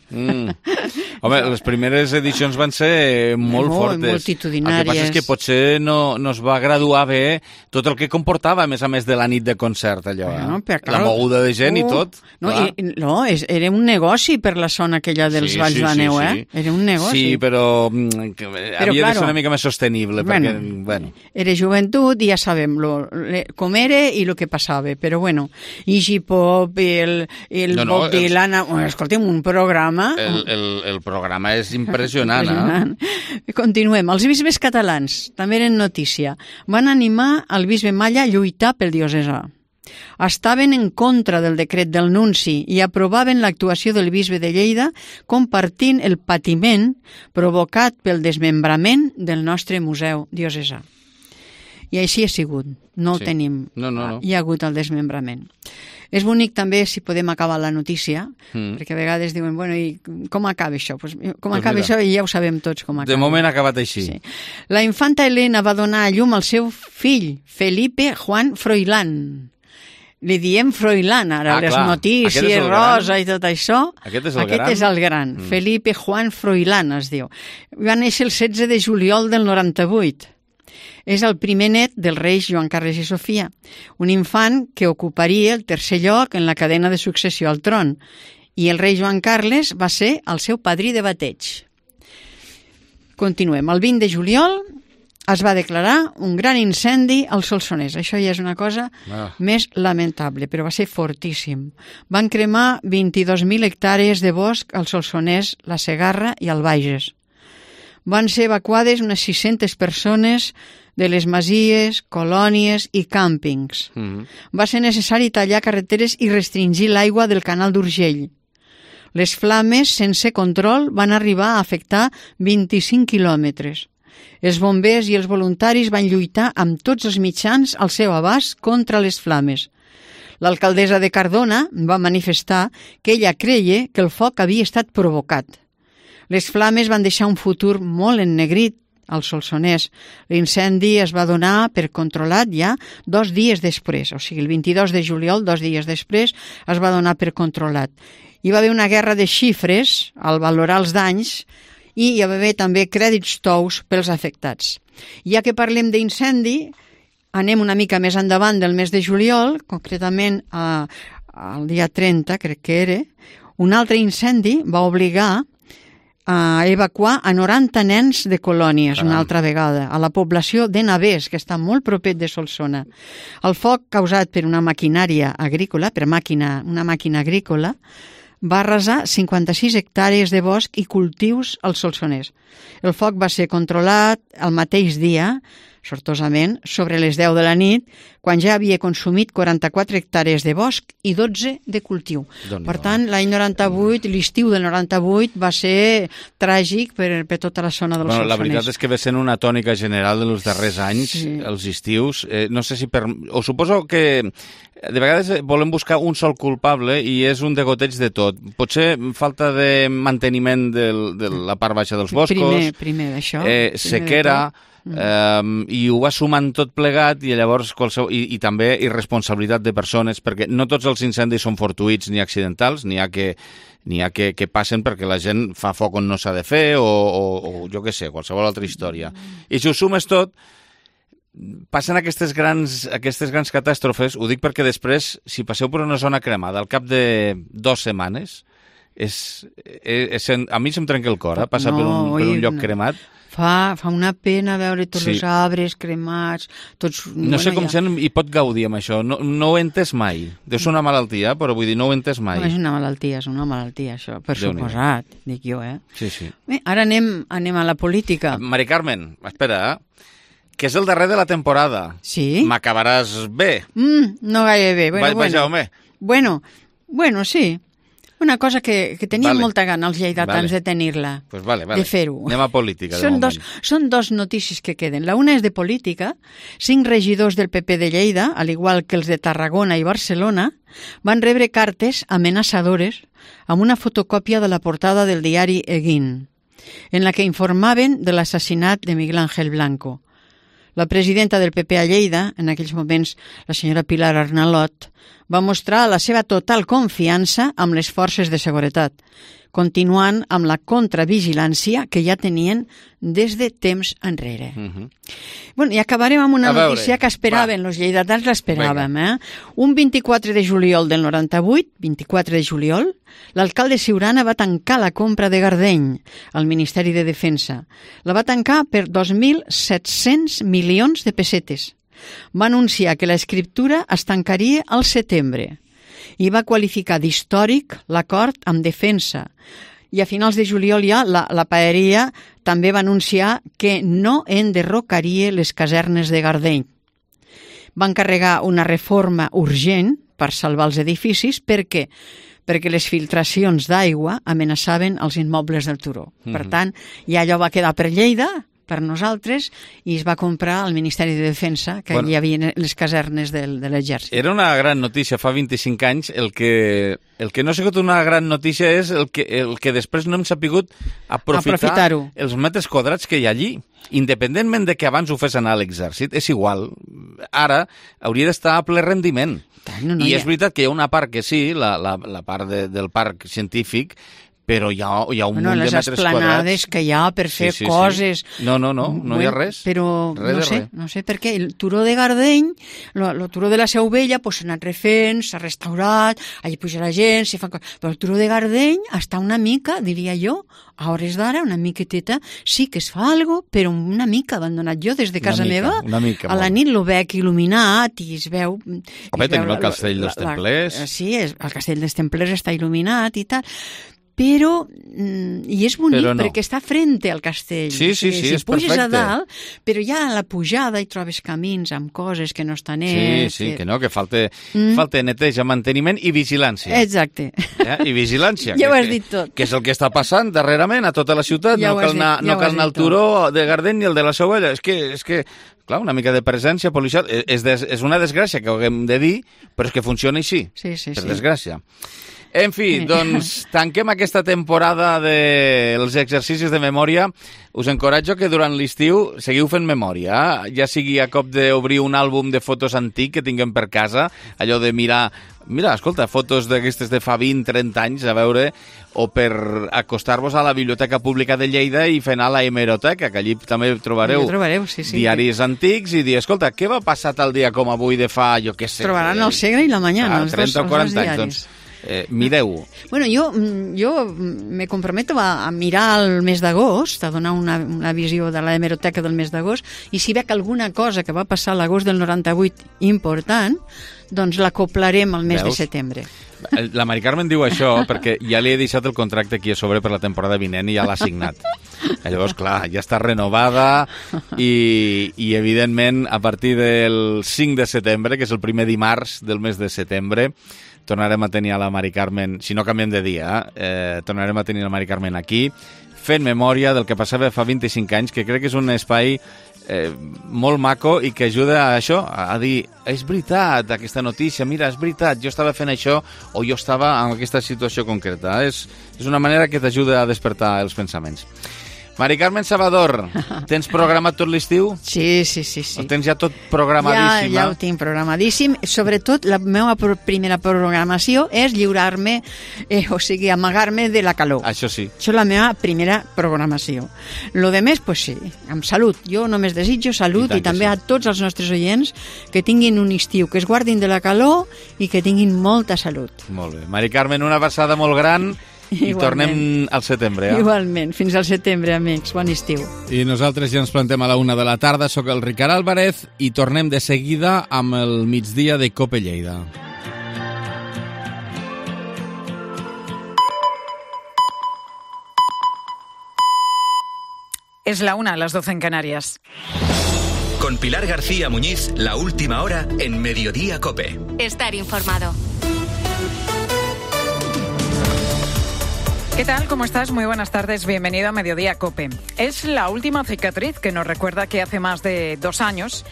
Home, les primeres edicions van ser molt fortes. Multitudinàries. El que passa és que potser no es va graduar bé tot el que comportava, a més de la nit de concert, allò. La moguda de gent i tot. Era un negoci per la zona aquella dels Valls de la Neu, Era un negoci. Sí, però havia de ser una mica més sostenible. Era joventut i ja sabem com era i el que passava, però bueno, Iggy Pop i el Bob Dylan, escolta'm, un programa... El programa és impressionant. Continuem. Els bisbes catalans, també eren notícia, van animar el bisbe Malla a lluitar pel diocesà. Estaven en contra del decret del nunci i aprovaven l'actuació del bisbe de Lleida compartint el patiment provocat pel desmembrament del nostre museu diocesà. I així ha sigut. No el tenim. No. Hi ha hagut el desmembrament. És bonic també si podem acabar la notícia, perquè a vegades diuen, bueno, i com acaba això? Com acaba això i ja ho sabem tots com acaba. De moment ha acabat així. Sí. La infanta Helena va donar a llum al seu fill, Felipe Juan Froilán. Li diem Froilán, ara, les notícies, rosa i tot això. Aquest és el gran. Felipe Juan Froilán es diu. Va néixer el 16 de juliol del 98. És el primer net dels reis Joan Carles i Sofia, un infant que ocuparia el tercer lloc en la cadena de successió al tron, i el rei Joan Carles va ser el seu padrí de bateig. Continuem. El 20 de juliol es va declarar un gran incendi al Solsonès. Això ja és una cosa més lamentable, però va ser fortíssim. Van cremar 22.000 hectàrees de bosc al Solsonès, la Segarra i el Bages. Van ser evacuades unes 600 persones de les masies, colònies i càmpings. Va ser necessari tallar carreteres i restringir l'aigua del canal d'Urgell. Les flames, sense control, van arribar a afectar 25 quilòmetres. Els bombers i els voluntaris van lluitar amb tots els mitjans al seu abast contra les flames. L'alcaldessa de Cardona va manifestar que ella creia que el foc havia estat provocat. Les flames van deixar un futur molt ennegrit al Solsonès. L'incendi es va donar per controlat ja 2 dies després, o sigui, el 22 de juliol, 2 dies després, es va donar per controlat. Hi va haver una guerra de xifres al valorar els danys i hi va haver també crèdits tous pels afectats. Ja que parlem d'incendi, anem una mica més endavant del mes de juliol, concretament al dia 30, crec que era, un altre incendi va obligar a evacuar a 90 nens de colònies una altra vegada, a la població de Navès, que està molt proper de Solsona. El foc causat per una maquinària agrícola, una màquina agrícola, va arrasar 56 hectàrees de bosc i cultius al Solsonès. El foc va ser controlat el mateix dia, sortosament, sobre les 10 de la nit, quan ja havia consumit 44 hectàrees de bosc i 12 de cultiu. Per tant, l'any 98, l'estiu del 98, va ser tràgic per tota la zona del Solsonès. La veritat és que ve sent una tònica general dels darrers anys, els estius. No sé si o suposo que de vegades volem buscar un sol culpable i és un degoteig de tot. Potser falta de manteniment de la part baixa dels boscos, primer d'això, sequera, i ho va sumant tot plegat i llavors i també irresponsabilitat de persones, perquè no tots els incendis són fortuïts ni accidentals, n'hi ha que n'hi ha que passen perquè la gent fa foc on no s'ha de fer o jo què sé, qualsevol altra història. I si ho sumes tot, passen aquestes grans catàstrofes, ho dic perquè després, si passeu per una zona cremada al cap de 2 setmanes, a mi se'm trenca el cor, passar per un lloc cremat. Fa una pena veure tots els arbres cremats, tots... No sé com gent hi pot gaudir amb això, no ho he entès mai. Deu ser una malaltia, però vull dir, no ho he entès mai. No és una malaltia, això, per suposat, dic jo, Sí. Bé, ara anem a la política. Mari Carmen, espera, que és el darrer de la temporada. Sí? M'acabaràs bé. No gaire bé. Jaume. Bueno, sí. Una cosa que teníem molta gana els lleidatans de tenir-la, de fer-ho. Anem a política, de moment. Són 2 notícies que queden. La una és de política. 5 regidors del PP de Lleida, al igual que els de Tarragona i Barcelona, van rebre cartes amenaçadores amb una fotocòpia de la portada del diari Eguín, en la que informaven de l'assassinat de Miguel Ángel Blanco. La presidenta del PP a Lleida, en aquells moments la senyora Pilar Arnalot, va mostrar la seva total confiança amb les forces de seguretat, continuant amb la contravigilància que ja tenien des de temps enrere. I acabarem amb una notícia que esperaven, els lleidatans l'esperaven. Un 24 de juliol del 98, 24 de juliol, l'alcalde Siurana va tancar la compra de Gardeny al Ministeri de Defensa. La va tancar per 2.700 milions de pessetes. Va anunciar que l'escriptura es tancaria al setembre i va qualificar d'històric l'acord amb Defensa. I a finals de juliol ja la Paeria també va anunciar que no enderrocaria les casernes de Gardeny. Va encarregar una reforma urgent per salvar els edificis perquè les filtracions d'aigua amenaçaven els immobles del turó. Per tant, ja allò va quedar per Lleida, per nosaltres, i es va comprar al Ministeri de Defensa, que hi havia les casernes de l'exèrcit. Era una gran notícia fa 25 anys. El que no ha sigut una gran notícia és el que després no hem sapigut aprofitar-ho. Els metres quadrats que hi ha allí. Independentment de que abans ho fes anar a l'exèrcit, és igual. Ara hauria d'estar a ple rendiment. I és veritat que hi ha una part que sí, la part del parc científic, però hi ha un munt de metres quadrats. Les esplanades que hi ha per fer coses... No hi ha res. Però no sé per què. El turó de Gardeny, el turó de la Seu Vella, s'ha anat refent, s'ha restaurat, allà puja la gent, s'hi fan coses... Però el turó de Gardeny està una mica, diria jo, a hores d'ara, una miqueteta, sí que es fa alguna cosa, però una mica abandonat. Jo, des de casa meva, a la nit lo veig il·luminat i es veu... Home, tenim el Castell dels Templers. Sí, el Castell dels Templers està il·luminat i tal... Però, i és bonic perquè està frente al castell. Sí, és perfecte. Puges a dalt, però ja a la pujada hi trobes camins amb coses que no estan nets. Sí, que falta neteja, manteniment i vigilància. Exacte. I vigilància. Ja ho has dit tot. Que és el que està passant darrerament a tota la ciutat. No cal anar al turó de Gardeny ni el de la Seu Vella. És que clar, una mica de presència policial. És una desgràcia que ho haguem de dir, però és que funciona així, per desgràcia. En fi, doncs tanquem aquesta temporada dels exercicis de memòria. Us encoratjo que durant l'estiu seguiu fent memòria, ja sigui a cop d'obrir un àlbum de fotos antic que tinguem per casa, allò de mirar, escolta, fotos d'aquestes de fa 20-30 anys, a veure, o per acostar-vos a la Biblioteca Pública de Lleida i fer anar a la hemeroteca, que allí també trobareu diaris antics i dir, escolta, què va passar tal dia com avui de fa, jo què sé... Trobaran el Segre i la Mañana, els 30 o 40 anys, doncs... mireu-ho. Bueno, jo me comprometo a mirar el mes d'agost, a donar una visió de la hemeroteca del mes d'agost, i si veig alguna cosa que va passar a l'agost del 98 important, doncs l'acoplarem al mes de setembre. La Mari Carmen diu això perquè ja li he deixat el contracte aquí a sobre per la temporada vinent i ja l'ha signat. Llavors, clar, ja està renovada i evidentment, a partir del 5 de setembre, que és el primer dimarts del mes de setembre, tornarem a tenir a la Mari Carmen, si no canviem de dia, tornarem a tenir la Mari Carmen aquí, fent memòria del que passava fa 25 anys, que crec que és un espai molt maco i que ajuda a això, a dir, és veritat aquesta notícia, mira, és veritat, jo estava fent això o jo estava en aquesta situació concreta. És una manera que t'ajuda a despertar els pensaments. Mari Carmen Salvador, tens programat tot l'estiu? Sí. Ho tens ja tot programadíssim? Ja ho tinc programadíssim. Sobretot, la meva primera programació és lliurar-me, o sigui, amagar-me de la calor. Això sí. Això és la meva primera programació. Lo de més, pues sí, amb salut. Jo només desitjo salut i també a tots els nostres oients que tinguin un estiu, que es guardin de la calor i que tinguin molta salut. Molt bé. Mari Carmen, una abraçada molt gran. I tornem al setembre, ja? Igualment. Fins al setembre, amics. Bon estiu. I nosaltres ja ens plantem a la 1 de la tarda. Soc el Ricard Álvarez i tornem de seguida amb el migdia de Cope Lleida. Es la 1, las 12 en Canarias. Con Pilar García Muñiz, la última hora en Mediodía Cope. Estar informado. ¿Qué tal? ¿Cómo estás? Muy buenas tardes. Bienvenido a Mediodía Cope. Es la última cicatriz que nos recuerda que hace más de 2 años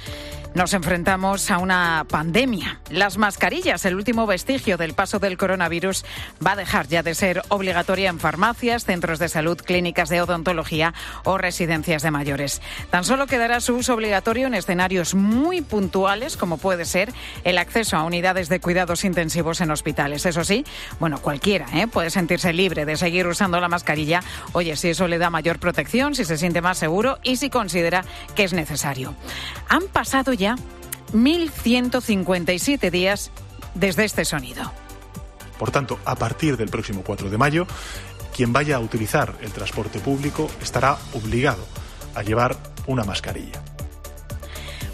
nos enfrentamos a una pandemia. Las mascarillas, el último vestigio del paso del coronavirus, va a dejar ya de ser obligatoria en farmacias, centros de salud, clínicas de odontología o residencias de mayores. Tan solo quedará su uso obligatorio en escenarios muy puntuales, como puede ser el acceso a unidades de cuidados intensivos en hospitales. Eso sí, bueno, cualquiera puede sentirse libre de seguir usando la mascarilla, oye, si eso le da mayor protección, si se siente más seguro y si considera que es necesario. Han pasado ya 1.157 días desde este sonido. Por tanto, a partir del próximo 4 de mayo, quien vaya a utilizar el transporte público estará obligado a llevar una mascarilla.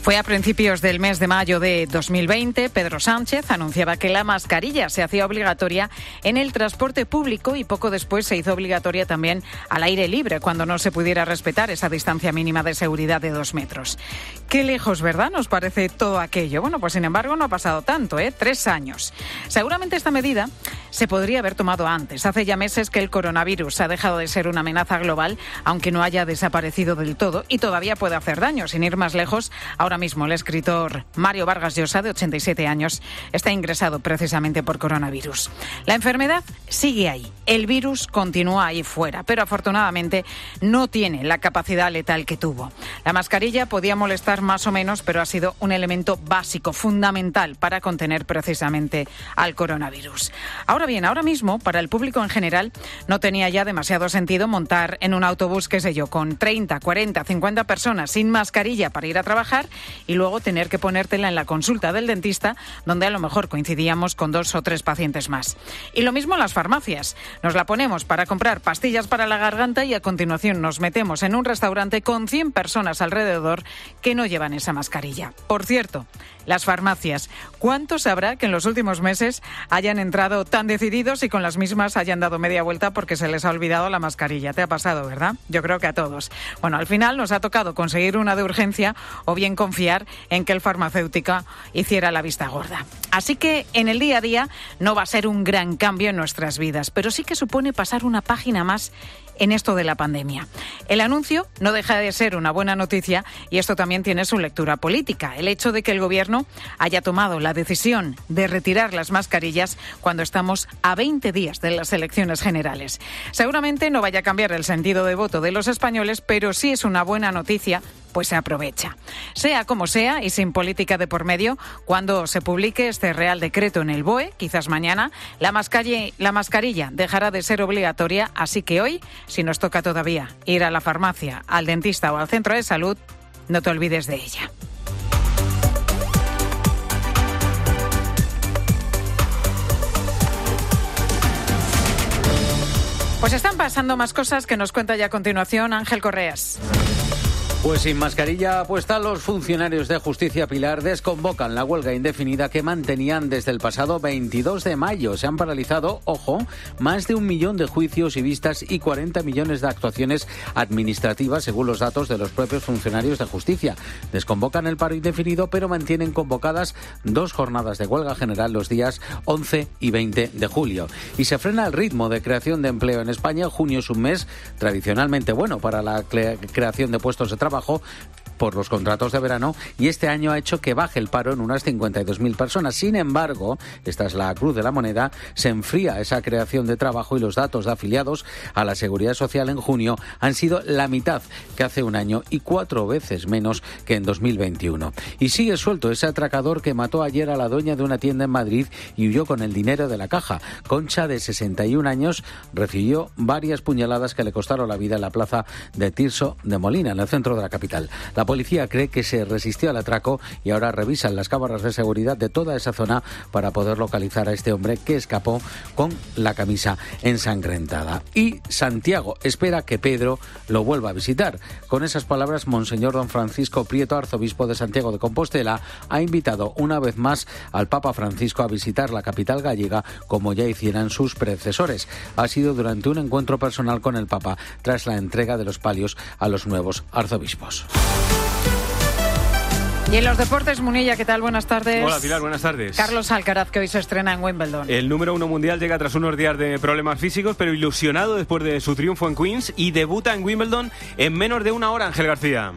Fue a principios del mes de mayo de 2020, Pedro Sánchez anunciaba que la mascarilla se hacía obligatoria en el transporte público y poco después se hizo obligatoria también al aire libre, cuando no se pudiera respetar esa distancia mínima de seguridad de 2 metros. Qué lejos, ¿verdad?, nos parece todo aquello. Bueno, pues sin embargo no ha pasado tanto, 3 años. Seguramente esta medida se podría haber tomado antes. Hace ya meses que el coronavirus ha dejado de ser una amenaza global, aunque no haya desaparecido del todo, y todavía puede hacer daño. Sin ir más lejos, ahora mismo el escritor Mario Vargas Llosa, de 87 años, está ingresado precisamente por coronavirus. La enfermedad sigue ahí, el virus continúa ahí fuera, pero afortunadamente no tiene la capacidad letal que tuvo. La mascarilla podía molestar más o menos, pero ha sido un elemento básico, fundamental para contener precisamente al coronavirus. Ahora bien, ahora mismo, para el público en general, no tenía ya demasiado sentido montar en un autobús, qué sé yo, con 30, 40, 50 personas sin mascarilla para ir a trabajar y luego tener que ponértela en la consulta del dentista, donde a lo mejor coincidíamos con 2 o 3 pacientes más. Y lo mismo en las farmacias. Nos la ponemos para comprar pastillas para la garganta y a continuación nos metemos en un restaurante con 100 personas alrededor que no llevan esa mascarilla. Por cierto, las farmacias, ¿cuántos habrá que en los últimos meses hayan entrado tan decididos y con las mismas hayan dado media vuelta porque se les ha olvidado la mascarilla? Te ha pasado, ¿verdad? Yo creo que a todos. Bueno, al final nos ha tocado conseguir una de urgencia o bien confiar en que el farmacéutico hiciera la vista gorda. Así que en el día a día no va a ser un gran cambio en nuestras vidas, pero sí que supone pasar una página más en esto de la pandemia. El anuncio no deja de ser una buena noticia y esto también tiene su lectura política. El hecho de que el gobierno haya tomado la decisión de retirar las mascarillas cuando estamos a 20 días de las elecciones generales. Seguramente no vaya a cambiar el sentido de voto de los españoles, pero sí es una buena noticia, pues se aprovecha. Sea como sea y sin política de por medio, cuando se publique este Real Decreto en el BOE, quizás mañana, la mascarilla dejará de ser obligatoria, así que hoy, si nos toca todavía ir a la farmacia, al dentista o al centro de salud, no te olvides de ella. Pues están pasando más cosas que nos cuenta ya a continuación Ángel Correas. Pues sin mascarilla puesta, los funcionarios de Justicia, Pilar, desconvocan la huelga indefinida que mantenían desde el pasado 22 de mayo. Se han paralizado, ojo, más de 1 millón de juicios y vistas y 40 millones de actuaciones administrativas, según los datos de los propios funcionarios de Justicia. Desconvocan el paro indefinido, pero mantienen convocadas 2 jornadas de huelga general los días 11 y 20 de julio. Y se frena el ritmo de creación de empleo en España. Junio es un mes tradicionalmente bueno para la creación de puestos de trabajo, por los contratos de verano y este año ha hecho que baje el paro en unas 52.000 personas. Sin embargo, esta es la cruz de la moneda, se enfría esa creación de trabajo y los datos de afiliados a la Seguridad Social en junio han sido la mitad que hace un año y 4 veces menos que en 2021. Y sigue suelto ese atracador que mató ayer a la dueña de una tienda en Madrid y huyó con el dinero de la caja. Concha, de 61 años, recibió varias puñaladas que le costaron la vida en la plaza de Tirso de Molina, en el centro de la capital. La policía cree que se resistió al atraco y ahora revisan las cámaras de seguridad de toda esa zona para poder localizar a este hombre que escapó con la camisa ensangrentada. Y Santiago espera que Pedro lo vuelva a visitar. Con esas palabras, Monseñor Don Francisco Prieto, arzobispo de Santiago de Compostela, ha invitado una vez más al Papa Francisco a visitar la capital gallega como ya hicieran sus predecesores. Ha sido durante un encuentro personal con el Papa tras la entrega de los palios a los nuevos arzobispos. Y en los deportes, Munilla, ¿qué tal? Buenas tardes. Hola, Pilar, buenas tardes. Carlos Alcaraz, que hoy se estrena en Wimbledon. El número 1 mundial llega tras unos días de problemas físicos, pero ilusionado después de su triunfo en Queens y debuta en Wimbledon en menos de una hora, Ángel García.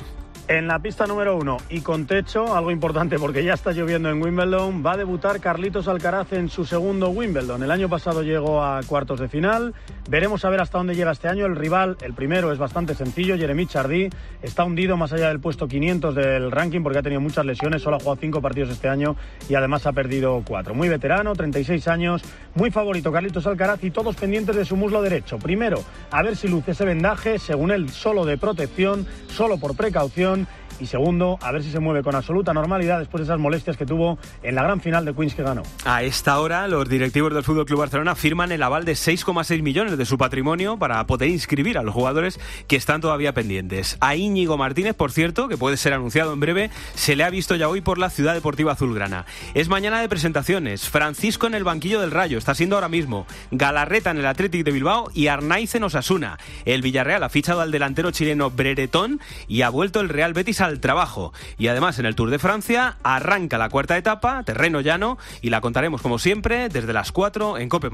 En la pista número 1 y con techo, algo importante porque ya está lloviendo en Wimbledon, va a debutar Carlitos Alcaraz en su segundo Wimbledon. El año pasado llegó a cuartos de final, veremos a ver hasta dónde llega este año. El rival, el primero, es bastante sencillo, Jeremy Chardy, está hundido más allá del puesto 500 del ranking porque ha tenido muchas lesiones, solo ha jugado 5 partidos este año y además ha perdido 4. Muy veterano, 36 años, muy favorito Carlitos Alcaraz y todos pendientes de su muslo derecho. Primero, a ver si luce ese vendaje, según él, solo de protección, solo por precaución. Y segundo, a ver si se mueve con absoluta normalidad después de esas molestias que tuvo en la gran final de Queens que ganó. A esta hora, los directivos del FC Barcelona firman el aval de 6,6 millones de su patrimonio para poder inscribir a los jugadores que están todavía pendientes. A Íñigo Martínez, por cierto, que puede ser anunciado en breve, se le ha visto ya hoy por la Ciudad Deportiva Azulgrana. Es mañana de presentaciones. Francisco en el banquillo del Rayo, está siendo ahora mismo. Galarreta en el Athletic de Bilbao y Arnaiz en Osasuna. El Villarreal ha fichado al delantero chileno Breretón y ha vuelto el Real Betis al trabajo. Y además en el Tour de Francia arranca la cuarta etapa, terreno llano, y la contaremos como siempre desde las 4 en COPE+.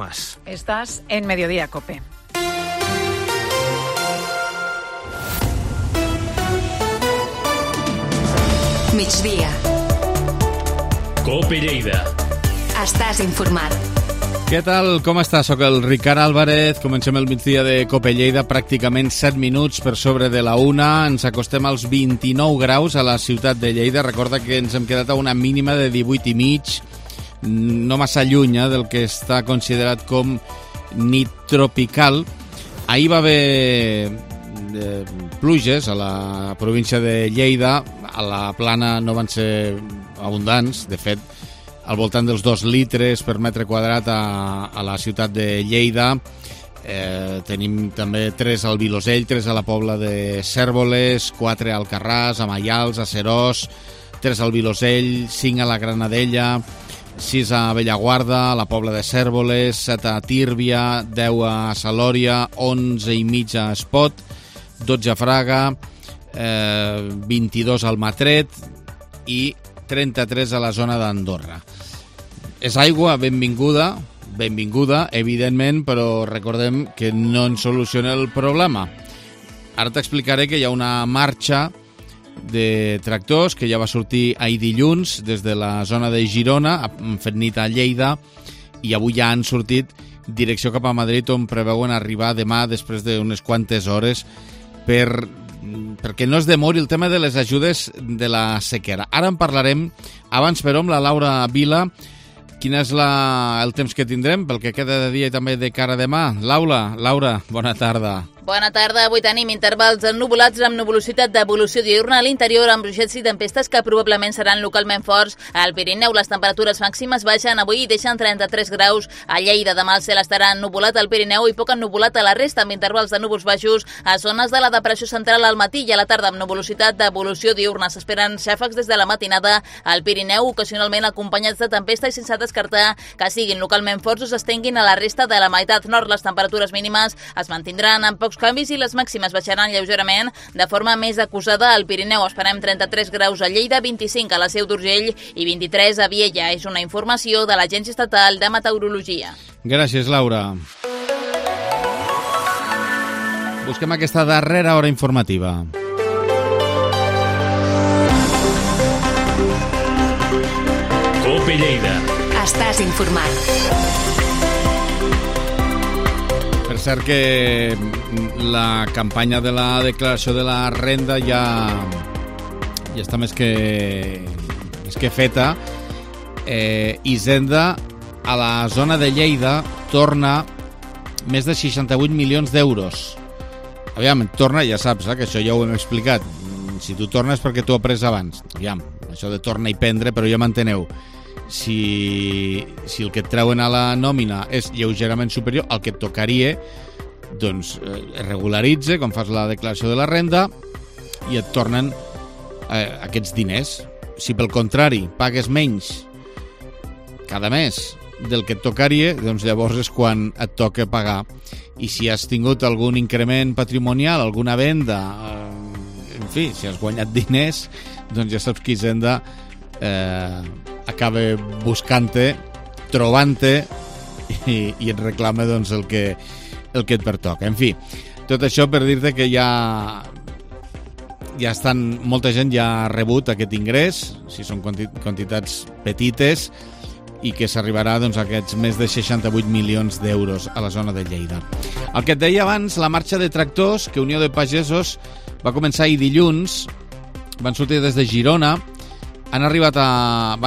Estás en Mediodía COPE. Migdia. COPE Lleida. Estàs informat. Què tal? Com estàs? Soc el Ricard Álvarez. Comencem el migdia de COPE Lleida, pràcticament 7 minuts per sobre de la 1. Ens acostem als 29 graus a la ciutat de Lleida. Recorda que ens hem quedat a una mínima de 18,5, no massa lluny del que està considerat com nit tropical. Ahir va haver pluges a la província de Lleida. A la plana no van ser abundants, de fet, al voltant dels 2 litres per metre quadrat a la ciutat de Lleida. Tenim també 3 al Vilosell, 3 a la Pobla de Cérvoles, 4 a Alcarràs, a Maials, a Serós, 3 al Vilosell, 5 a la Granadella, 6 a Bellaguarda, a la Pobla de Cérvoles, 7 a Tírvia, 10 a Salòria, 11,5 a Espot, 12 a Fraga, 22 al Matret i 33 a la zona d'Andorra. És aigua benvinguda, evidentment, però recordem que no ens soluciona el problema. Ara t'explicaré que hi ha una marxa de tractors que ja va sortir ahir dilluns des de la zona de Girona, han fet nit a Lleida i avui ja han sortit direcció cap a Madrid, on preveuen arribar demà després d'unes quantes hores perquè no es demori el tema de les ajudes de la sequera. Ara en parlarem, abans però amb la Laura Vila. Quin és el temps que tindrem pel que queda de dia i també de cara a demà? Laura, bona tarda. Bona tarda. Avui tenim intervals ennuvolats amb nuvolositat d'evolució diurna a l'interior amb ruixats i tempestes que probablement seran localment forts. Al Pirineu les temperatures màximes baixen avui i deixen 33 graus. A Lleida demà el cel estarà ennuvolat al Pirineu i poc ennuvolat a la resta amb intervals de núvols baixos a zones de la depressió central al matí i a la tarda amb nuvolositat d'evolució diurna. S'esperen xàfecs des de la matinada al Pirineu, ocasionalment acompanyats de tempesta i sense descartar que siguin localment forts o s'estenguin a la resta de la meitat nord. Les temperatures mínimes es mantindran amb pocs canvis i les màximes baixaran lleugerament de forma més acusada al Pirineu. Esperem 33 graus a Lleida, 25 a la Seu d'Urgell i 23 a Viella. És una informació de l'Agència Estatal de Meteorologia. Gràcies, Laura. Busquem aquesta darrera hora informativa. Cope Lleida. Estàs informat. Per cert que la campanya de la declaració de la renda ja està més que feta. Hisenda a la zona de Lleida torna més de 68 milions d'euros. Aviam, torna, ja saps, que això ja ho hem explicat. Si tu tornes perquè tu ho has pres abans. Aviam, això de torna i prendre, però ja m'enteneu. Si el que et treuen a la nòmina és lleugerament superior al que et tocaria, doncs es regularitza, com fas la declaració de la renda, i et tornen aquests diners. Si pel contrari pagues menys cada mes del que et tocaria, doncs llavors és quan et toca pagar. I si has tingut algun increment patrimonial, alguna venda, en fi, si has guanyat diners, doncs ja saps que Hisenda acaba buscant-te, trobant-te i et reclama doncs, el que et pertoca. En fi, tot això per dir-te que molta gent ja ha rebut aquest ingrés, si són quantitats petites, i que s'arribarà doncs, a aquests més de 68 milions d'euros a la zona de Lleida. El que et deia abans, la marxa de tractors, que Unió de Pagesos va començar ahir dilluns, van sortir des de Girona, van arribar a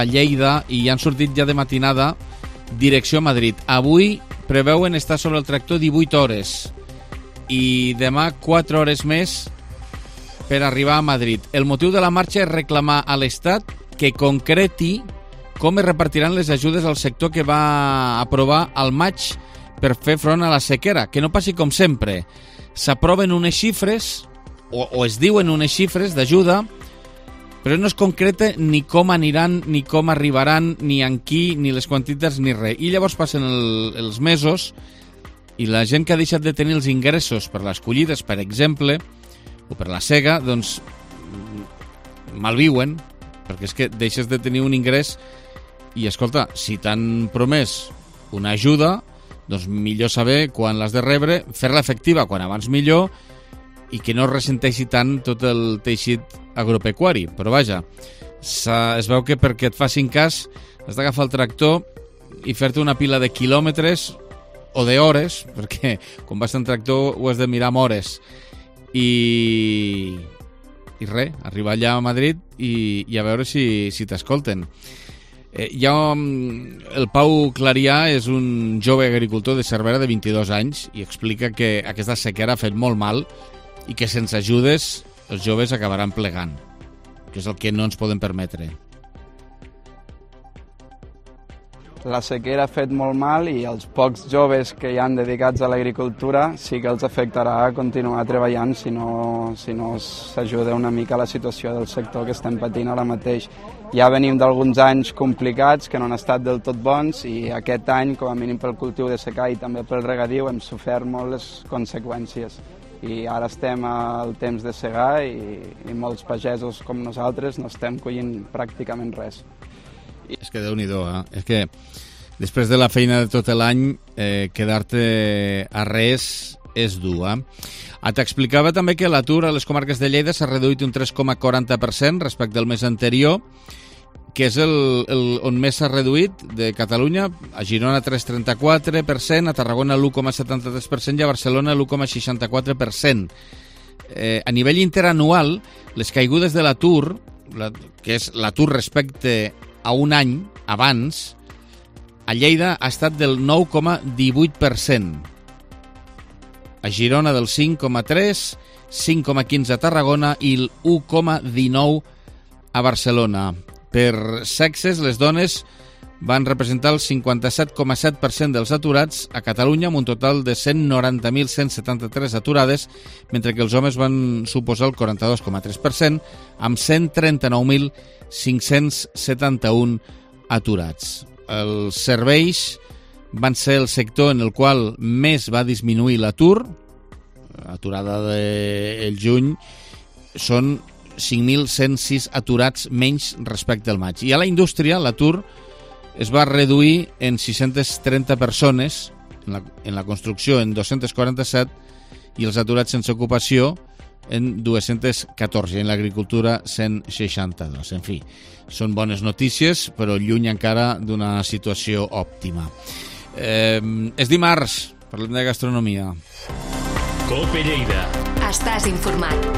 Lleida i han sortit ja de matinada direcció a Madrid. Avui preveuen estar sobre el tractor 18 hores i demà 4 hores més per arribar a Madrid. El motiu de la marxa és reclamar a l'Estat que concreti com es repartiran les ajudes al sector que va aprovar al maig per fer front a la sequera. Que no passi com sempre. S'aproven unes xifres, o es diuen unes xifres d'ajuda, però no es concreta ni com aniran, ni com arribaran, ni en qui, ni les quantitats, ni res. I llavors passen els mesos i la gent que ha deixat de tenir els ingressos per les collides, per exemple, o per la sega, doncs malviuen, perquè és que deixes de tenir un ingrés i, escolta, si t'han promès una ajuda, doncs millor saber quan l'has de rebre, fer-la efectiva quan abans millor i que no ressenteixi tant tot el teixit agropecuari. Però vaja, es veu que perquè et facin cas has d'agafar el tractor i fer-te una pila de quilòmetres o d'hores, perquè quan vas en tractor ho has de mirar amb hores. I res, arribar allà a Madrid i a veure si t'escolten. El Pau Clarià és un jove agricultor de Cervera de 22 anys i explica que aquesta sequera ha fet molt mal i que sense ajudes els joves acabaran plegant, que és el que no ens podem permetre. La sequera ha fet molt mal i els pocs joves que hi han dedicats a l'agricultura sí que els afectarà a continuar treballant si no s'ajuda una mica a la situació del sector que estem patint ara mateix. Ja venim d'alguns anys complicats que no han estat del tot bons i aquest any, com a mínim pel cultiu de secà i també pel regadiu, hem sofert molt les conseqüències. I ara estem al temps de segar i molts pagesos com nosaltres no estem collint pràcticament res. És que Déu-n'hi-do, És que després de la feina de tot l'any, quedar-te a res és dur, T'explicava també que l'atur a les comarques de Lleida s'ha reduït un 3,40% respecte al mes anterior, que és on més s'ha reduït de Catalunya. A Girona 3,34%, a Tarragona l'1,73% i a Barcelona l'1,64%. A nivell interanual, les caigudes de l'atur, que és l'atur respecte a un any abans, a Lleida ha estat del 9,18%. A Girona del 5,3%, 5,15% a Tarragona i el 1,19% a Barcelona. Per sexes, les dones van representar el 57,7% dels aturats a Catalunya, amb un total de 190.173 aturades, mentre que els homes van suposar el 42,3%, amb 139.571 aturats. Els serveis van ser el sector en el qual més va disminuir l'atur. Aturada del juny són 5.106 aturats menys respecte al maig. I a la indústria l'atur es va reduir en 630 persones, en la construcció en 247, i els aturats sense ocupació en 214, en l'agricultura 162. En fi, són bones notícies, però lluny encara d'una situació òptima. És dimarts, parlem de gastronomia. COPE Lleida. Estàs informat.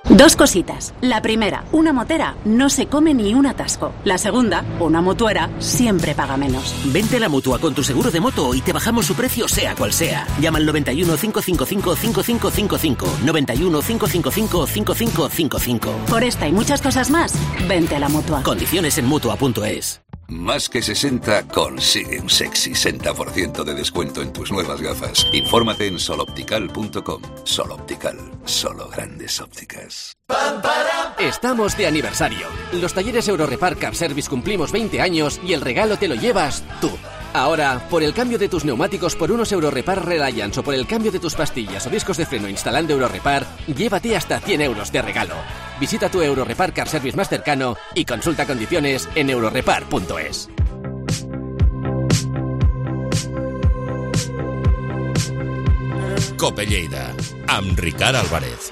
Dos cositas. La primera, una motera no se come ni un atasco. La segunda, una mutuera siempre paga menos. Vente a la Mutua con tu seguro de moto y te bajamos su precio sea cual sea. Llama al 91 555 5555. 91 555 5555. Por esta y muchas cosas más, vente a la Mutua. Condiciones en Mutua.es. Más que 60 consigue un sexy 60% de descuento en tus nuevas gafas. Infórmate en soloptical.com. Sol Optical, solo grandes ópticas. Estamos de aniversario. Los talleres Eurorepar Car Service cumplimos 20 años y el regalo te lo llevas tú. Ahora, por el cambio de tus neumáticos por unos Eurorepar Reliance o por el cambio de tus pastillas o discos de freno instalando Eurorepar, llévate hasta 100 euros de regalo. Visita tu Eurorepar Car Service más cercano y consulta condiciones en eurorepar.es. COPE Lleida, amb Ricard Álvarez.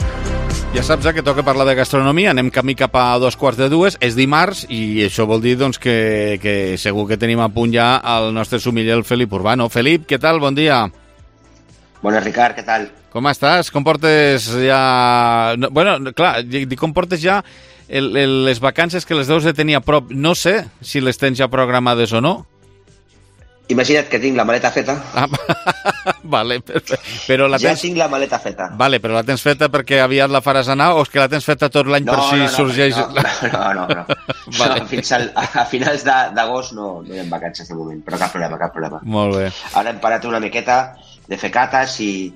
Ja saps que toca parlar de gastronomia, anem camí cap a 2:45, és dimarts i això vol dir doncs, que segur que tenim a punt ja el nostre sommelier, el Felip Urbano. Felip, què tal? Bon dia. Bona, Ricard, què tal? Com estàs? Com portes ja... Bueno, clar, com portes ja les vacances que les deus de tenir a prop? No sé si les tens ja programades o no. Imagina't que tinc la maleta feta. Vale, però la tens... Ja tinc la maleta feta. Vale, però la tens feta perquè aviat la faràs anar o és que la tens feta tot l'any per si sorgeix... No. Vale. No, fins a finals d'agost no hi ha vacances de moment, però cap problema. Molt bé. Ara hem parat una miqueta de fer cates i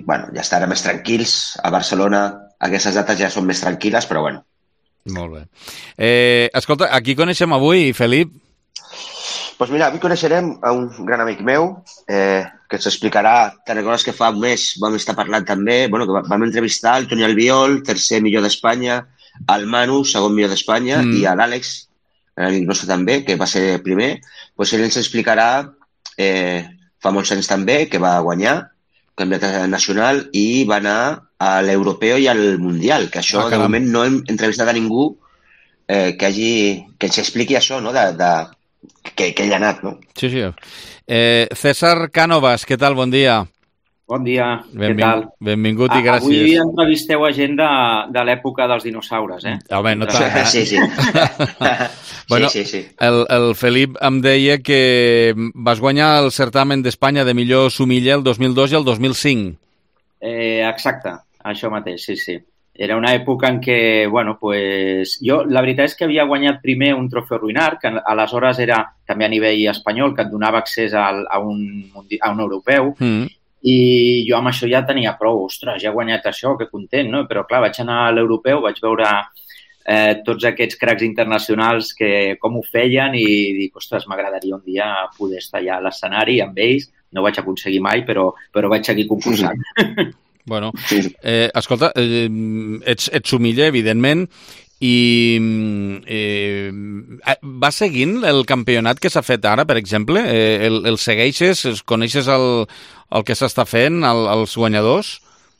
bueno, ja estarem més tranquils. A Barcelona aquestes dates ja són més tranquil·les, però bueno. Molt bé. Escolta, a qui coneixem avui, Felip? Doncs mira, avui coneixerem a un gran amic meu que ens explicarà, te'n recordes que fa un mes vam estar parlant també, bueno, que vam entrevistar el Toni Albiol, tercer millor d'Espanya, el Manu, segon millor d'Espanya, i a l'Àlex, l'amic nostre també, que va ser primer. Doncs ell ens explicarà, fa molts anys també, que va guanyar campionat nacional i va anar a l'Europeu i al Mundial, que això de moment no hem entrevistat a ningú que ens expliqui això, no?, que ell ha anat, no? Sí. César Cánovas, què tal? Bon dia. Bon dia, què tal? Benvingut i gràcies. Avui entrevisteu a gent de l'època dels dinosaures, Home, no tant. Sí. Bueno, sí. El Felip em deia que vas guanyar el certamen d'Espanya de millor sommelier el 2002 i el 2005. Exacte, això mateix, sí. Era una època en què, bueno, pues, jo la veritat és que havia guanyat primer un trofeu Ruinart, que aleshores era també a nivell espanyol, que et donava accés a un europeu, i jo amb això ja tenia prou, ostres, ja he guanyat això, que content, no? Però clar, vaig anar a l'europeu, vaig veure tots aquests cracs internacionals que com ho feien i dic, ostres, m'agradaria un dia poder estar allà a l'escenari amb ells, no ho vaig aconseguir mai, però vaig seguir concursant. Bueno, escolta, ets sommelier, evidentment, i vas seguint el campionat que s'ha fet ara, per exemple? El segueixes? Coneixes el que s'està fent, els guanyadors?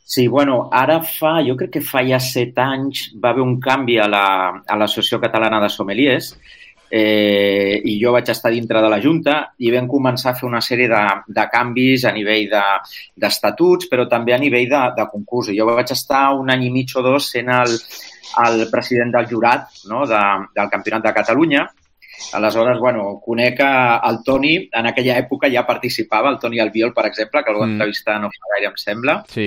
Sí, bueno, ara jo crec que fa ja 7 anys va haver un canvi a l'Associació Catalana de Sommeliers i jo vaig estar dintre de la Junta i vam començar a fer una sèrie de canvis a nivell d'estatuts, però també a nivell de concurs. Jo vaig estar un any i mig o dos sent el president del jurat, no?, del Campionat de Catalunya. Aleshores, bueno, conec el Toni, en aquella època ja participava, el Toni Albiol, per exemple, que el vaig entrevistar no fa gaire, em sembla. Sí.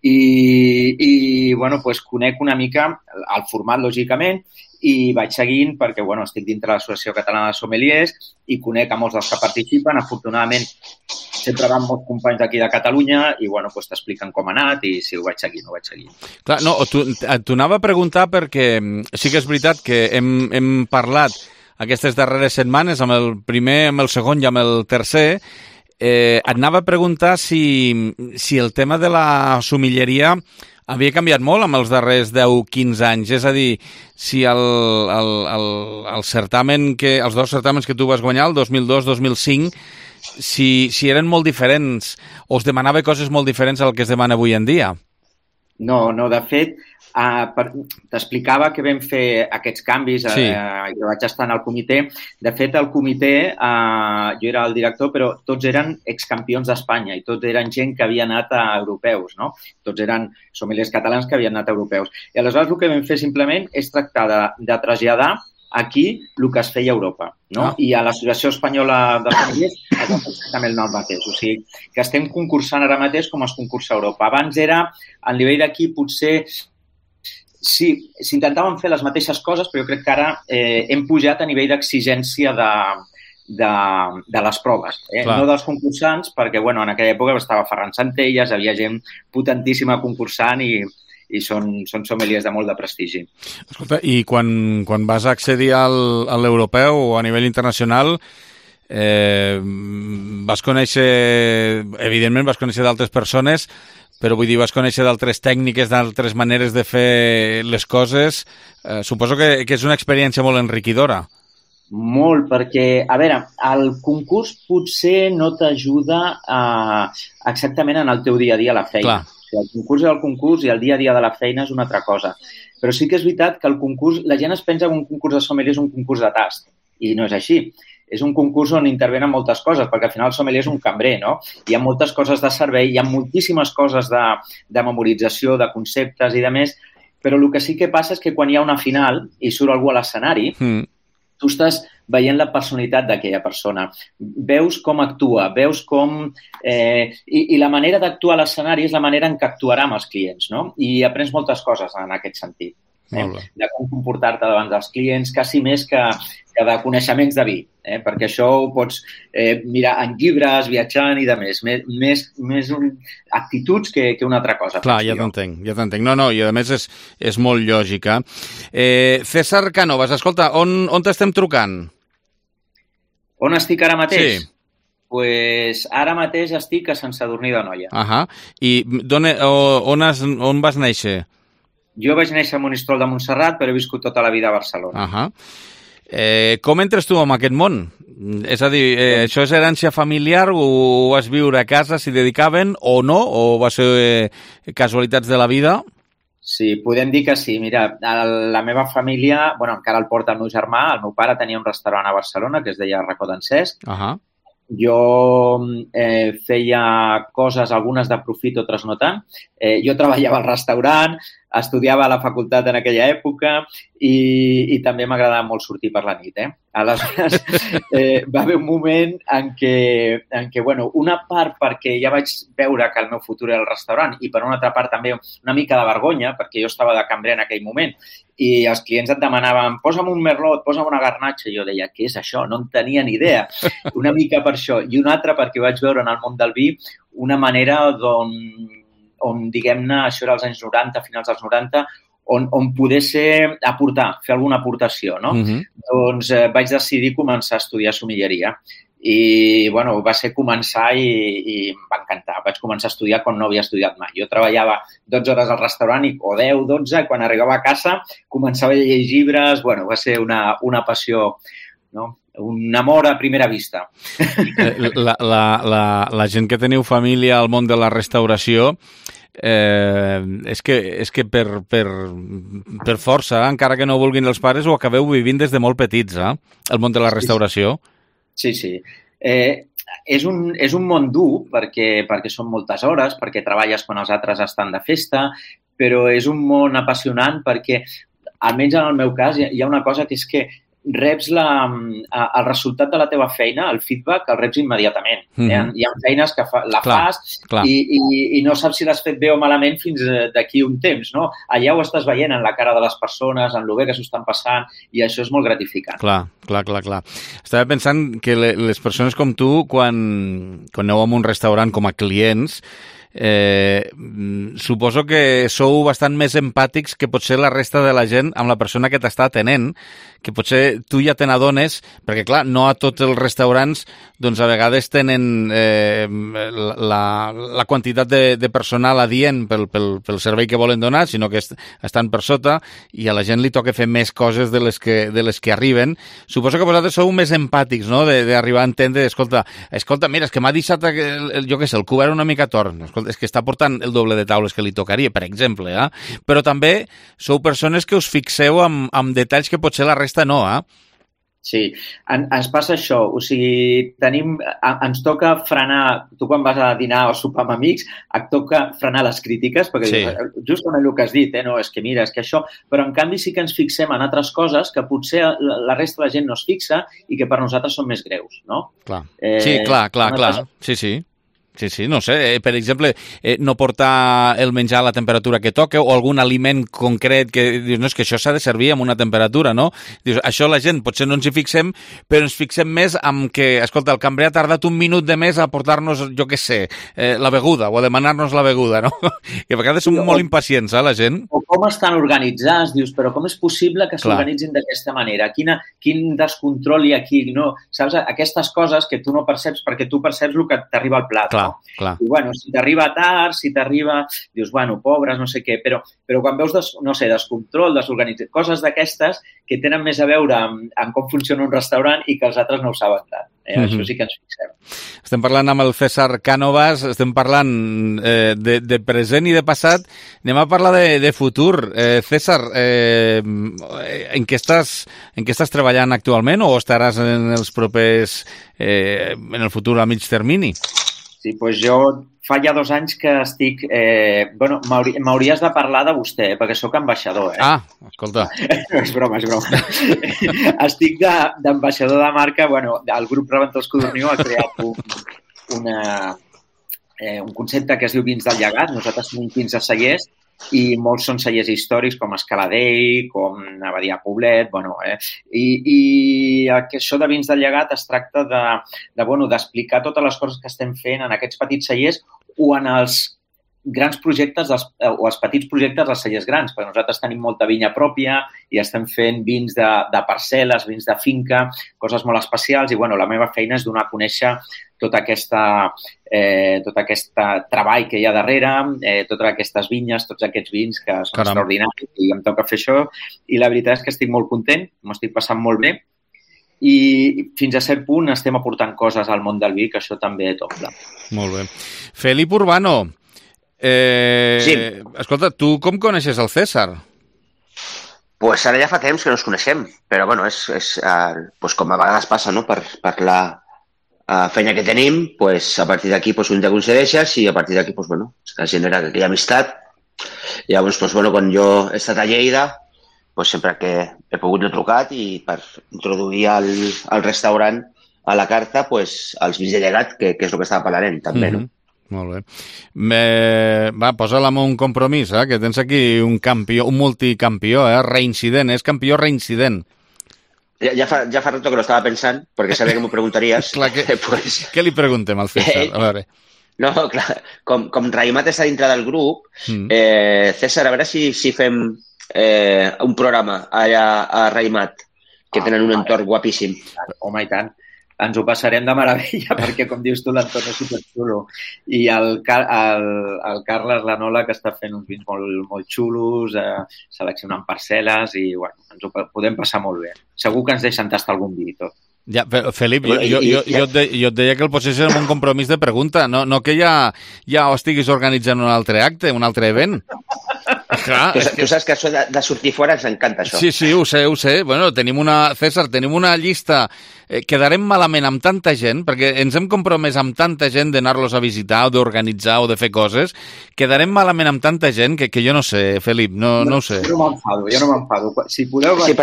I bueno, pues conec una mica el format, lògicament, i vaig seguint perquè, bueno, estic dintre de l'Associació Catalana de Sommeliers i conec a molts dels que participen. Afortunadament, sempre van molts companys d'aquí de Catalunya i, bueno, pues t'expliquen com ha anat i si ho vaig seguir o no ho vaig seguir. Clar, no, t'ho anava a preguntar perquè sí que és veritat que hem parlat aquestes darreres setmanes amb el primer, amb el segon i amb el tercer. Et anava a preguntar si el tema de la sommelleria havia canviat molt amb els darrers 10-15 anys. És a dir, si el certamen els dos certàmens que tu vas guanyar, el 2002-2005, si eren molt diferents o es demanava coses molt diferents al que es demana avui en dia. No, de fet, t'explicava que vam fer aquests canvis, jo vaig estar en el comitè. De fet, el comitè, jo era el director, però tots eren excampions d'Espanya i tots eren gent que havia anat a europeus, no? Tots eren sommeliers catalans que havien anat a europeus. I aleshores el que vam fer simplement és tractar de traslladar aquí el que es feia a Europa, no? I a l'Associació Espanyola de Sommeliers es va fer exactament el mateix. O sigui, que estem concursant ara mateix com es concursa a Europa. Abans era, a nivell d'aquí, potser sí, s'intentaven fer les mateixes coses, però jo crec que ara hem pujat a nivell d'exigència de les proves. No dels concursants, perquè en aquella època estava Ferran Centelles, havia gent potentíssima concursant i són sommeliers de molt de prestigi. Escolta, i quan vas accedir a l'europeu o a nivell internacional, vas conèixer, evidentment vas conèixer d'altres persones, però vull dir, vas conèixer d'altres tècniques, d'altres maneres de fer les coses. Suposo que és una experiència molt enriquidora. Molt, perquè, a veure, el concurs potser no t'ajuda exactament en el teu dia a dia a la feina. Clar. El concurs és el concurs i el dia a dia de la feina és una altra cosa. Però sí que és veritat que el concurs, la gent es pensa que un concurs de sommelier és un concurs de tast, i no és així. És un concurs on intervenen moltes coses, perquè al final el sommelier és un cambrer, no? Hi ha moltes coses de servei, hi ha moltíssimes coses de memorització, de conceptes i de més, però el que sí que passa és que quan hi ha una final i surt algú a l'escenari, tu estàs veient la personalitat d'aquella persona, veus com actua, veus com... I la manera d'actuar a l'escenari és la manera en què actuarà amb els clients, no? I aprens moltes coses en aquest sentit. De com comportar-te davant dels clients, quasi més que de coneixements de vi, perquè això ho pots mirar en llibres, viatjant i de més actituds que una altra cosa. Clar, ja t'entenc. No, i a més és molt lògica. César Cánovas, escolta, on t'estem trucant? On estic ara mateix? Sí. Pues ara mateix estic a Sant Sadurní d'Anoia. I on vas néixer? Jo vaig néixer a Monistrol de Montserrat, però he viscut tota la vida a Barcelona. Com entres tu en aquest món? És a dir, això és herència familiar o vas viure a casa, s'hi dedicaven o no? O va ser casualitats de la vida? Sí, podem dir que sí. Mira, la meva família, encara el porta el meu germà, el meu pare tenia un restaurant a Barcelona que es deia Racó d'en Cesc. Jo feia coses, algunes de profit, altres no tant. Jo treballava al restaurant, estudiava a la facultat en aquella època i també m'agradava molt sortir per la nit. Aleshores, va haver un moment en què una part perquè ja vaig veure que el meu futur era el restaurant i per una altra part també una mica de vergonya perquè jo estava de cambrer en aquell moment i els clients et demanaven posa'm un merlot, posa'm una garnatxa i jo deia, què és això? No en tenia ni idea. Una mica per això i una altra perquè vaig veure en el món del vi una manera on diguem-ne, això era als anys 90, finals dels 90, on poder fer alguna aportació, no? Doncs vaig decidir començar a estudiar sommelleria i, va ser començar i em va encantar. Vaig començar a estudiar quan no havia estudiat mai. Jo treballava 12 hores al restaurant o 10, 12, i quan arribava a casa començava a llegir llibres, va ser una passió, no? Un amor a primera vista. La gent que teniu família al món de la restauració és que per força, encara que no vulguin els pares, ho acabeu vivint des de molt petits, el món de la restauració. Sí. És un món dur perquè són moltes hores, perquè treballes quan els altres estan de festa, però és un món apassionant perquè, almenys en el meu cas, hi ha una cosa que és que reps el resultat de la teva feina, el feedback, el reps immediatament. Hi ha feines que fas i no saps si l'has fet bé o malament fins d'aquí un temps, no? Allà ho estàs veient en la cara de les persones, en el bé que s'ho estan passant, i això és molt gratificant. Clar. Estava pensant que les persones com tu, quan aneu a un restaurant com a clients, suposo que sou bastant més empàtics que potser la resta de la gent amb la persona que t'està atenent, que potser tu ja te n'adones, perquè clar, no a tots els restaurants doncs a vegades tenen la quantitat de personal adient pel servei que volen donar, sinó que estan per sota i a la gent li toca fer més coses de les que arriben. Suposo que vosaltres sou més empàtics, no?, d'arribar a entendre, escolta, mira, és que m'ha deixat, jo què sé, el cobert una mica torn, escolta, és que està portant el doble de taules que li tocaria, per exemple, però també sou persones que us fixeu en detalls que potser la resta no, Sí, ens passa això, o sigui, ens toca frenar, tu quan vas a dinar o sopar amb amics, et toca frenar les crítiques, perquè dius, justament el que has dit, no, és que mira, és que això, però en canvi sí que ens fixem en altres coses que potser la resta de la gent no es fixa i que per nosaltres són més greus, no? Clar. Sí, clar, sí. Sí, no sé, per exemple, no portar el menjar a la temperatura que toca o algun aliment concret que dius, no, és que això s'ha de servir amb una temperatura, no? Dius, això la gent potser no ens hi fixem, però ens fixem més en que, escolta, el cambrer ha tardat un minut de més a portar-nos, jo què sé, la beguda o a demanar-nos la beguda, no? Que a vegades som molt impacients, la gent. O com estan organitzats, dius, però com és possible que s'organitzin d'aquesta manera? Quin descontrol hi ha aquí, no? Saps? Aquestes coses que tu no perceps perquè tu perceps el que t'arriba al plat. Clar. I, bueno, si t'arriba tard, dius, bueno, pobres, no sé què, però quan veus, descontrol, desorganització, coses d'aquestes que tenen més a veure amb com funciona un restaurant i que els altres no ho saben tant. Això sí que ens fixem. Estem parlant amb el César Cánovas, estem parlant de present i de passat. Anem a parlar de futur. César, en què estàs treballant actualment o estaràs en els propers, en el futur a mig termini? Sí, doncs jo fa ja 2 anys que estic... m'hauries de parlar de vostè, perquè sóc ambaixador, Escolta. És broma. Estic d'ambaixador de marca. El grup Reventós Codorniu ha creat un concepte que es diu Vins del Llegat. Nosaltres tenim 15 cellers i molts són cellers històrics com Escaladell, com Abadia Poblet, i això de Vins del Llegat es tracta d'explicar totes les coses que estem fent en aquests petits cellers o en els grans projectes o els petits projectes dels cellers grans, perquè nosaltres tenim molta vinya pròpia i estem fent vins de parcel·les, vins de finca, coses molt especials i la meva feina és donar a conèixer tot aquest treball que hi ha darrere, totes aquestes vinyes, tots aquests vins que són extraordinaris i em toca fer això i la veritat és que estic molt content, m'ho estic passant molt bé i fins a cert punt estem aportant coses al món del vi, que això també toca. Molt bé. Felip Urbano, sí. Escolta, tu com coneixes el César? Pues ara ja fa temps que no ens coneixem, però és com a vegades passa, no? Per la feina que tenim, a partir d'aquí un ja coincideixes i a partir d'aquí es genera aquella amistat. Llavors, quan jo he estat a Lleida, sempre que he pogut he trucat i per introduir al restaurant a la carta els vins de llegat, que és el que estava parlant també, no? Molt bé. Va, posa-la amb un compromís, que tens aquí un campió, un multicampió, reincident, és campió reincident. Ja fa rato que lo estava pensant, perquè sabia que m'ho preguntaries. Clar, què li preguntem al César? A veure. No, clar, com Raimat està dintre del grup, César, a veure si fem un programa allà a Raimat, que tenen un entorn guapíssim. Home, i tant. Ens ho passarem de meravella, perquè, com dius tu, l'entorn és superxulo. I el Carles Lanola, que està fent uns vins molt xulos, seleccionant parcel·les, i ens ho podem passar molt bé. Segur que ens deixen tastar algun vi i tot. Ja, però, Felip, jo et deia que el posaries en un compromís de pregunta, no que ja estiguis organitzant un altre acte, un altre event. Clar, tu saps que això de sortir fora ens encanta, això. Sí, ho sé. César, tenim una llista. Quedarem malament amb tanta gent, perquè ens hem compromès amb tanta gent d'anar-los a visitar o d'organitzar o de fer coses. Quedarem malament amb tanta gent que jo no sé, Felip, no ho sé. Jo no m'enfado. Si podeu... Sí,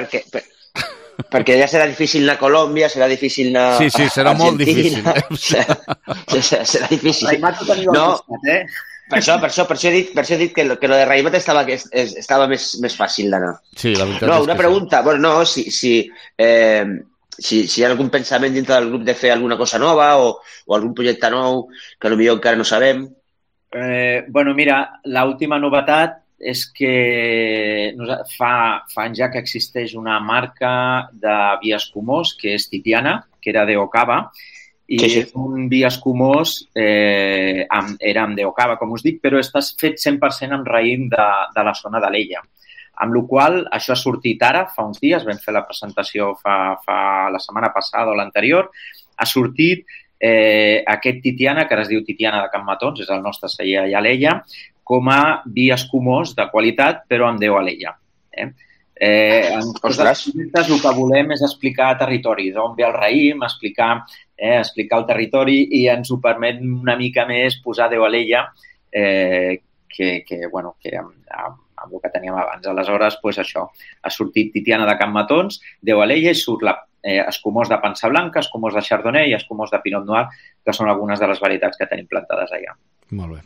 perquè ja serà difícil anar a Colòmbia, serà difícil anar a Argentina. Sí, serà molt difícil. Serà difícil. Raimat ho teniu al costat, Per això he dit que lo de Raimat estava més fàcil d'anar. Sí, la veritat és que una pregunta, si hi ha algun pensament dintre del grup de fer alguna cosa nova o algun projecte nou que potser encara no sabem. Bueno, mira, l'última novetat és que fa anys ja que existeix una marca de vi escumós, que és Titiana, que era d'Ocava, i és un vi escumós, era amb d'Ocava, com us dic, però està fet 100% amb raïm de la zona d'Alella. Amb la qual cosa, això ha sortit ara, fa uns dies, vam fer la presentació fa la setmana passada o l'anterior, ha sortit aquest Titiana, que ara es diu Titiana de Can Matons, és el nostre celler allà a Alella, com a vi escumós de qualitat, però amb Déu a l'ella. En tots els projectes el que volem és explicar territori, d'on ve el raïm, explicar el territori i ens ho permet una mica més posar Déu a l'ella que amb el que teníem abans. Aleshores, això, ha sortit Titiana de Can Matons, Déu a l'ella i surt escumós de pansa blanca, escumós de chardonnay i escumós de pinot noir, que són algunes de les varietats que tenim plantades allà. Molt bé.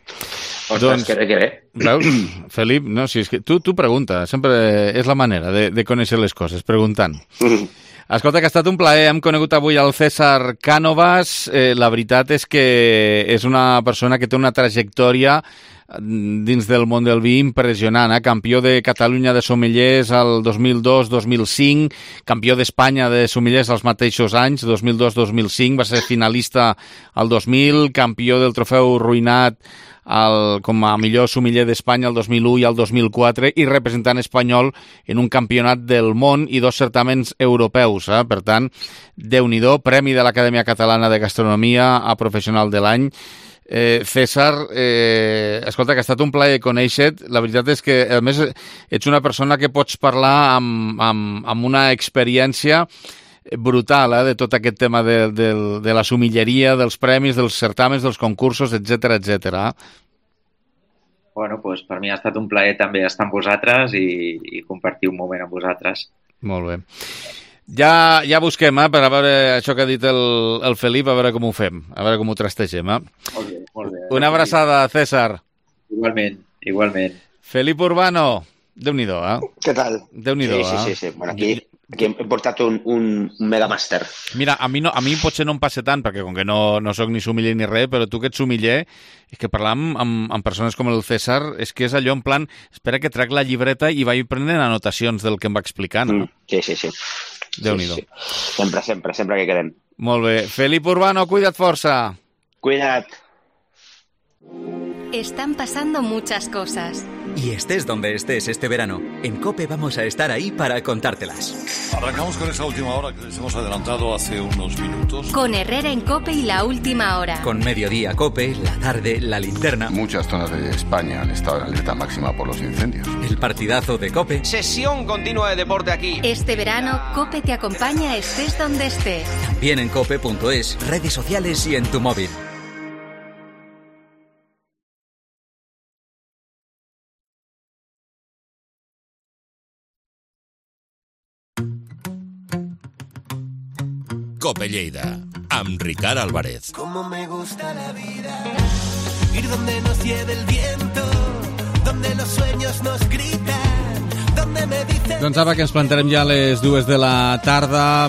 Ostres, que bé. Veus, Felip, no, si és que tu pregunta, sempre és la manera de conèixer les coses, preguntant. Escolta, que ha estat un plaer, hem conegut avui el César Cánovas, la veritat és que és una persona que té una trajectòria dins del món del vi impressionant, campió de Catalunya de sommeliers al 2002-2005, campió d'Espanya de sommeliers als mateixos anys, 2002-2005, va ser finalista al 2000, campió del trofeu Ruinat com a millor sommelier d'Espanya el 2001 i el 2004 i representant espanyol en un campionat del món i 2 certaments europeus. Per tant, Déu-n'hi-do, Premi de l'Acadèmia Catalana de Gastronomia a Professional de l'Any. César, escolta, que ha estat un plaer conèixer-te. La veritat és que, a més, ets una persona que pots parlar amb una experiència brutal, de tot aquest tema de la sommelleria, dels premis, dels certàmens, dels concursos, etc. Bueno, doncs per mi ha estat un plaer també estar amb vosaltres i compartir un moment amb vosaltres. Molt bé. Ja busquem, per a veure això que ha dit el Felip, a veure com ho fem, a veure com ho trastegem. Molt bé. Una abraçada, César. Igualment. Felip Urbano, Déu-n'hi-do, Què tal? Déu-n'hi-do, Sí. Bueno, aquí hem portat un megamàster. Mira, a mi potser no em passa tant, perquè com que no soc ni sommelier ni res, però tu que ets sommelier, és que parlar amb persones com el César és que és allò en plan, espera que trec la llibreta i vaig prenent anotacions del que em va explicant. No? Sí. Déu-n'hi-do. Sí. Sempre que quedem. Molt bé. Felip Urbano, cuida't força. Cuida't. Están pasando muchas cosas. Y estés donde estés este verano, en COPE vamos a estar ahí para contártelas. Arrancamos con esa última hora que les hemos adelantado hace unos minutos. Con Herrera en COPE y la última hora. Con Mediodía COPE, la tarde, la linterna. Muchas zonas de España han estado en alerta máxima por los incendios. El partidazo de COPE. Sesión continua de deporte aquí. Este verano, COPE te acompaña estés donde estés. También en cope.es, redes sociales y en tu móvil. Cope Lleida, amb Ricard Álvarez. Como me gusta la vida, ir donde nos lleve el viento, donde los sueños nos gritan, donde me dicen... Doncs ara que ens plantarem ja a les 2 de la tarda,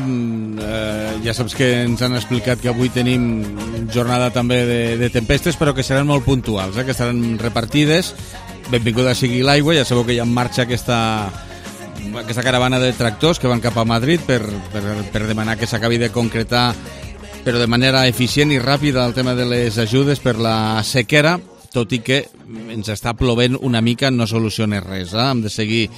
ja saps que ens han explicat que avui tenim jornada també de tempestes, però que seran molt puntuals, que estaran repartides. Benvinguda sigui l'aigua, ja sabeu que hi ha en marxa aquesta caravana de tractors que van cap a Madrid per demanar que s'acabi de concretar, però de manera eficient i ràpida, el tema de les ajudes per la sequera, tot i que ens està plovent una mica, no soluciona res. Hem de seguir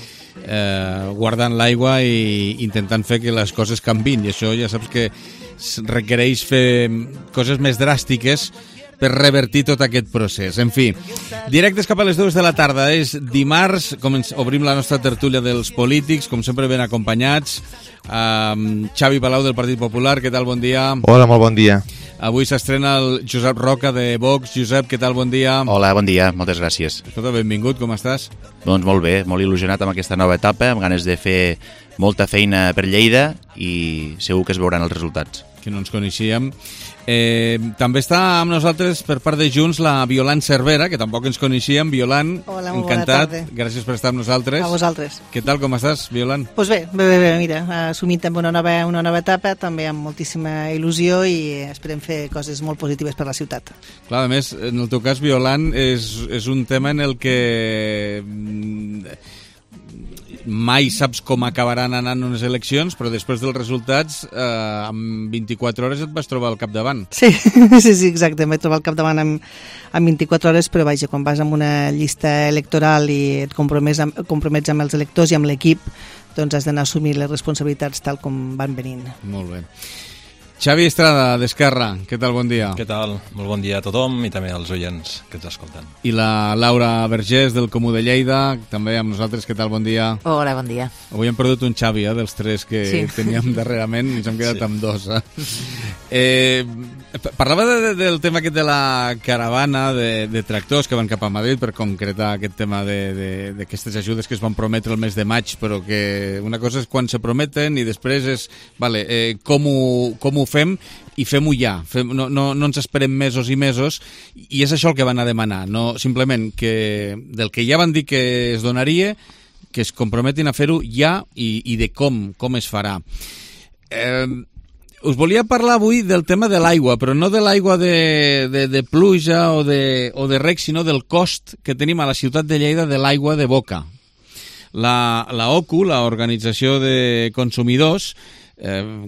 guardant l'aigua i intentant fer que les coses canvin, i això ja saps que requereix fer coses més dràstiques per revertir tot aquest procés. En fi, directes cap a les 2 de la tarda. És dimarts, obrim la nostra tertúlia dels polítics, com sempre ben acompanyats. Xavi Palau del Partit Popular, què tal? Bon dia. Hola, molt bon dia. Avui s'estrena el Josep Roca de Vox. Josep, què tal? Bon dia. Hola, bon dia, moltes gràcies. Escolta, benvingut, com estàs? Doncs molt bé, molt il·lusionat amb aquesta nova etapa, amb ganes de fer molta feina per Lleida i segur que es veuran els resultats. que no ens coneixíem. També està amb nosaltres per part de Junts la Violant Cervera, que tampoc ens coneixíem. Violant, hola, molt encantat. Bona tarda. Gràcies per estar amb nosaltres. A vosaltres. Què tal, com estàs, Violant? Doncs bé, mira, assumint també una nova etapa, també amb moltíssima il·lusió i esperem fer coses molt positives per la ciutat. Clar, a més, en el teu cas, Violant, és un tema en el que mai saps com acabaran anant unes eleccions, però després dels resultats, en 24 hores et vas trobar al capdavant. Sí, exacte, em vaig trobar al capdavant en 24 hores, però vaja, quan vas amb una llista electoral i et compromets amb els electors i amb l'equip, doncs has d'anar a assumir les responsabilitats tal com van venint. Molt bé. Xavi Estrada, d'Esquerra, què tal, bon dia? Què tal? Molt bon dia a tothom i també als oients que ens escolten. I la Laura Vergés, del Comú de Lleida, també amb nosaltres, què tal, bon dia? Hola, bon dia. Avui hem perdut un Xavi, dels tres que teníem darrerament, i ens hem quedat amb dos. Parlava del tema aquest de la caravana de tractors que van cap a Madrid per concretar aquest tema d'aquestes ajudes que es van prometre el mes de maig, però que una cosa és quan se prometen i després és, com ho fem i fem-ho ja. No ens esperem mesos i mesos, i és això el que van a demanar, no simplement que del que ja van dir que es donaria, que es comprometin a fer-ho ja i de com es farà. Us volia parlar avui del tema de l'aigua, però no de l'aigua de pluja o de rec, sinó del cost que tenim a la ciutat de Lleida de l'aigua de boca. La OCU, l'Organització de Consumidors,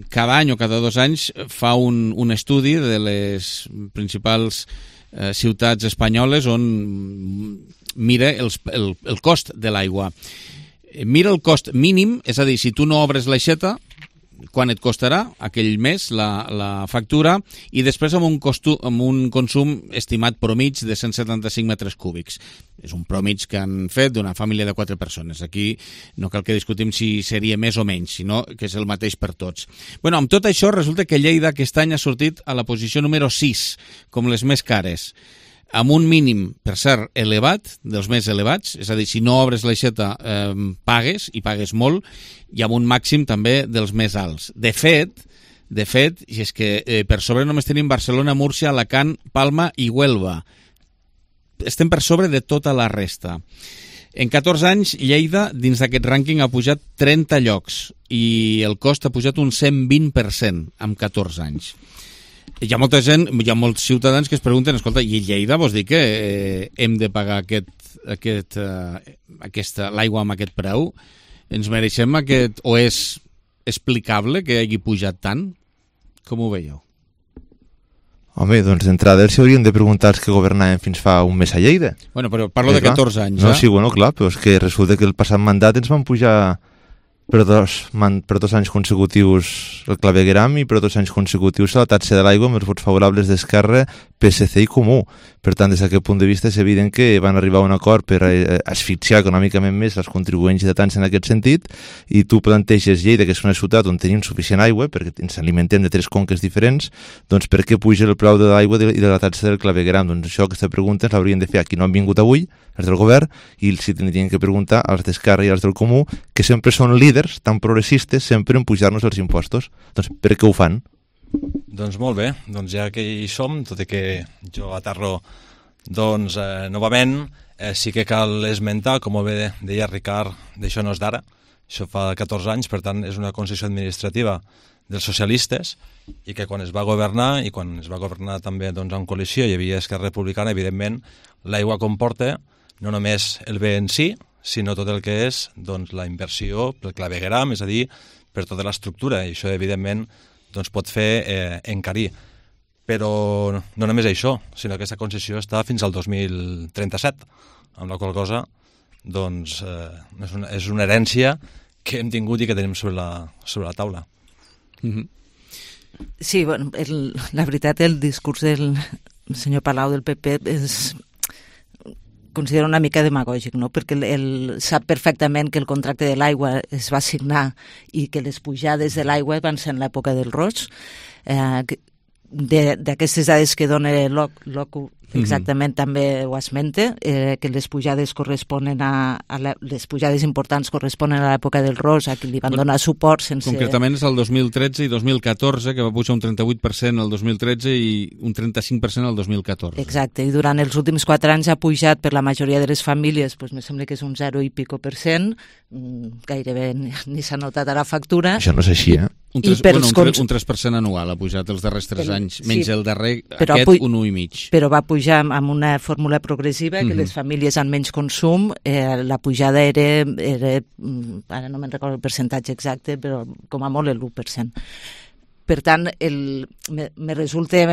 cada any o cada 2 anys fa un estudi de les principals ciutats espanyoles on mira el cost de l'aigua. Mira el cost mínim, és a dir, si tu no obres l'aixeta, quan et costarà aquell mes la factura, i després amb un consum estimat promig de 175 metres cúbics. És un promig que han fet d'una família de 4 persones. Aquí no cal que discutim si seria més o menys, sinó que és el mateix per tots. Bueno, amb tot això resulta que Lleida aquest any ha sortit a la posició número 6, com les més cares, amb un mínim, per cert, elevat, dels més elevats, és a dir, si no obres l'aixeta pagues, i pagues molt, i amb un màxim també dels més alts. De fet, i és que per sobre només tenim Barcelona, Múrcia, Alacant, Palma i Huelva. Estem per sobre de tota la resta. En 14 anys, Lleida, dins d'aquest rànquing, ha pujat 30 llocs, i el cost ha pujat un 120% en 14 anys. Hi ha molta gent, hi ha molts ciutadans que es pregunten, escolta, i Lleida vols dir que hem de pagar l'aigua amb aquest preu? Ens mereixem aquest, o és explicable que hagi pujat tant? Com ho veieu? Home, doncs d'entrada els haurien de preguntar els que governaven fins fa un mes a Lleida. Bueno, però parlo de 14 anys, No, sí, bueno, clar, però és que resulta que el passat mandat ens van pujar per dos anys consecutius el clavegueram i per 2 anys consecutius la taxa de l'aigua amb els vots favorables d'Esquerra, PSC i Comú. Per tant, des d'aquest punt de vista és evident que van arribar a un acord per asfixiar econòmicament més els contribuents i en aquest sentit, i tu planteges Lleida, que és una ciutat on tenim suficient aigua, perquè ens alimentem de 3 conques diferents, doncs per què puja el preu de l'aigua i de la taxa del clavegueram? Doncs això, aquesta pregunta ens l'haurien de fer a qui no han vingut avui, els del govern, i si tindrien que preguntar als d'Esquerra i als del Comú, que sempre són líders, tan progressistes, sempre en pujar-nos els impostos. Doncs per què ho fan? Doncs molt bé, doncs ja que hi som, tot i que jo aterro doncs, novament, sí que cal esmentar, com bé deia Ricard, d'això no és d'ara, això fa 14 anys, per tant és una concessió administrativa dels socialistes, i que quan es va governar, i quan es va governar també doncs, en coalició, hi havia Esquerra Republicana, evidentment l'aigua comporta no només el bé en si, sinó tot el que és doncs, la inversió pel clavegueram, és a dir, per tota l'estructura, i això evidentment doncs, pot fer encarir. Però no només això, sinó que aquesta concessió està fins al 2037, amb la qual cosa doncs, és una herència que hem tingut i que tenim sobre la taula. Mm-hmm. Sí, bueno, la veritat, el discurs del senyor Palau del PP és considero una mica demagògic, no? Perquè sap perfectament que el contracte de l'aigua es va signar i que les pujades de l'aigua van ser en l'època del Roig, d'aquestes dades que dona l'OCU, exactament també ho esmente, que les pujades corresponen les pujades importants corresponen a l'època del Ros, a qui li van donar suport sense... Concretament és el 2013 i 2014, que va pujar un 38% el 2013 i un 35% el 2014. Exacte, i durant els últims 4 anys ha pujat per la majoria de les famílies, doncs me sembla que és un 0 i pico %, gairebé ni s'ha notat a la factura. Això no és així, Un 3% anual ha pujat els darrers 3 anys, menys el darrer, aquest un 1,5%. Però va pujar amb una fórmula progressiva, que les famílies amb menys consum, la pujada era, ara no me'n recordo el percentatge exacte, però com a molt el 1%. Per tant, me resulta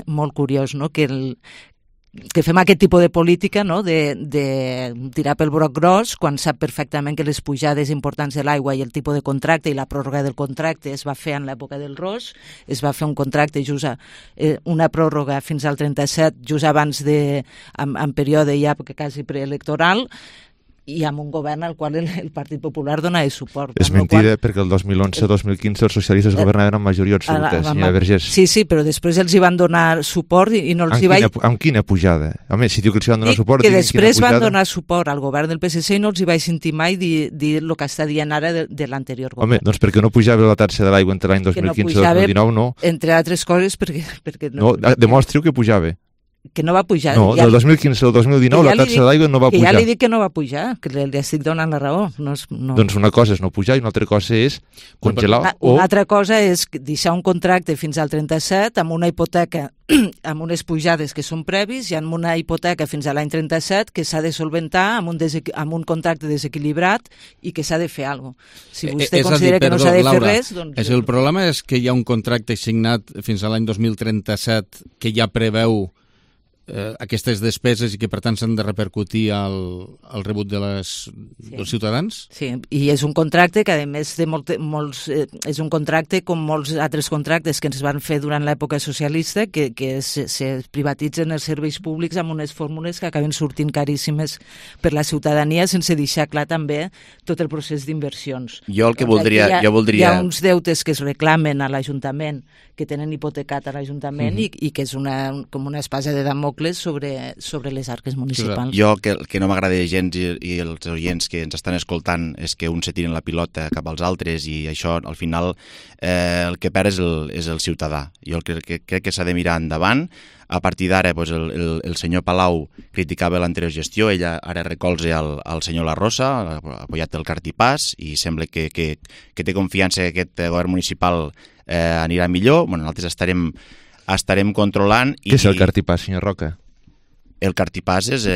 molt curiós, no?, que fem aquest tipus de política, no?, de tirar pel broc gros quan sap perfectament que les pujades importants de l'aigua i el tipus de contracte i la pròrroga del contracte es va fer en l'època del Ros, es va fer un contracte una pròrroga fins al 37, just abans en període ja quasi preelectoral, i amb un govern al qual el Partit Popular donava suport. És mentida, perquè el 2011-2015 els socialistes governaven amb majoria absoluta, senyora Vergés. Sí, però després els hi van donar suport i no els hi vaig... Amb quina pujada? Home, si diu que els hi van donar suport... Que després van donar suport al govern del PSC i no els hi vaig sentir mai dir el que està dient ara de l'anterior govern. Home, doncs perquè no pujava la taxa de l'aigua entre l'any 2015 i 2019, no? Entre altres coses, perquè no, demostri-ho que pujava. Que no va pujar. No, del 2015 al 2019 la taxa de l'aigua no va pujar. Que ja li dic que no va pujar, que li estic donant la raó. No. Doncs una cosa és no pujar i una altra cosa és congelar Una altra cosa és deixar un contracte fins al 37 amb una hipoteca amb unes pujades que són previs i amb una hipoteca fins a l'any 37 que s'ha de solventar amb un contracte desequilibrat i que s'ha de fer alguna cosa. Si vostè considera que no s'ha de fer res... Doncs... El problema és que hi ha un contracte signat fins a l'any 2037 que ja preveu aquestes despeses i que per tant s'han de repercutir al rebut dels ciutadans? Sí, i és un contracte que a més de és un contracte com molts altres contractes que ens van fer durant l'època socialista que se privatitzen els serveis públics amb unes fórmules que acaben sortint caríssimes per la ciutadania sense deixar clar també tot el procés d'inversions. Jo el que voldria... Hi ha uns deutes que es reclamen a l'Ajuntament, que tenen hipotecat a l'Ajuntament i que és com una espasa de Damocles sobre les arques municipals. Jo que no m'agrada gens i els oients que ens estan escoltant és que uns se tiren la pilota cap als altres i això al final el que perd és el ciutadà. Jo crec que s'ha de mirar endavant. A partir d'ara el senyor Palau criticava l'anterior gestió, ella ara recolza el senyor La Rosa, ha apoyat el cartipàs i sembla que té confiança que aquest govern municipal anirà millor. Bueno, nosaltres estarem controlant... Què és el cartipàs, senyor Roca? El cartipàs és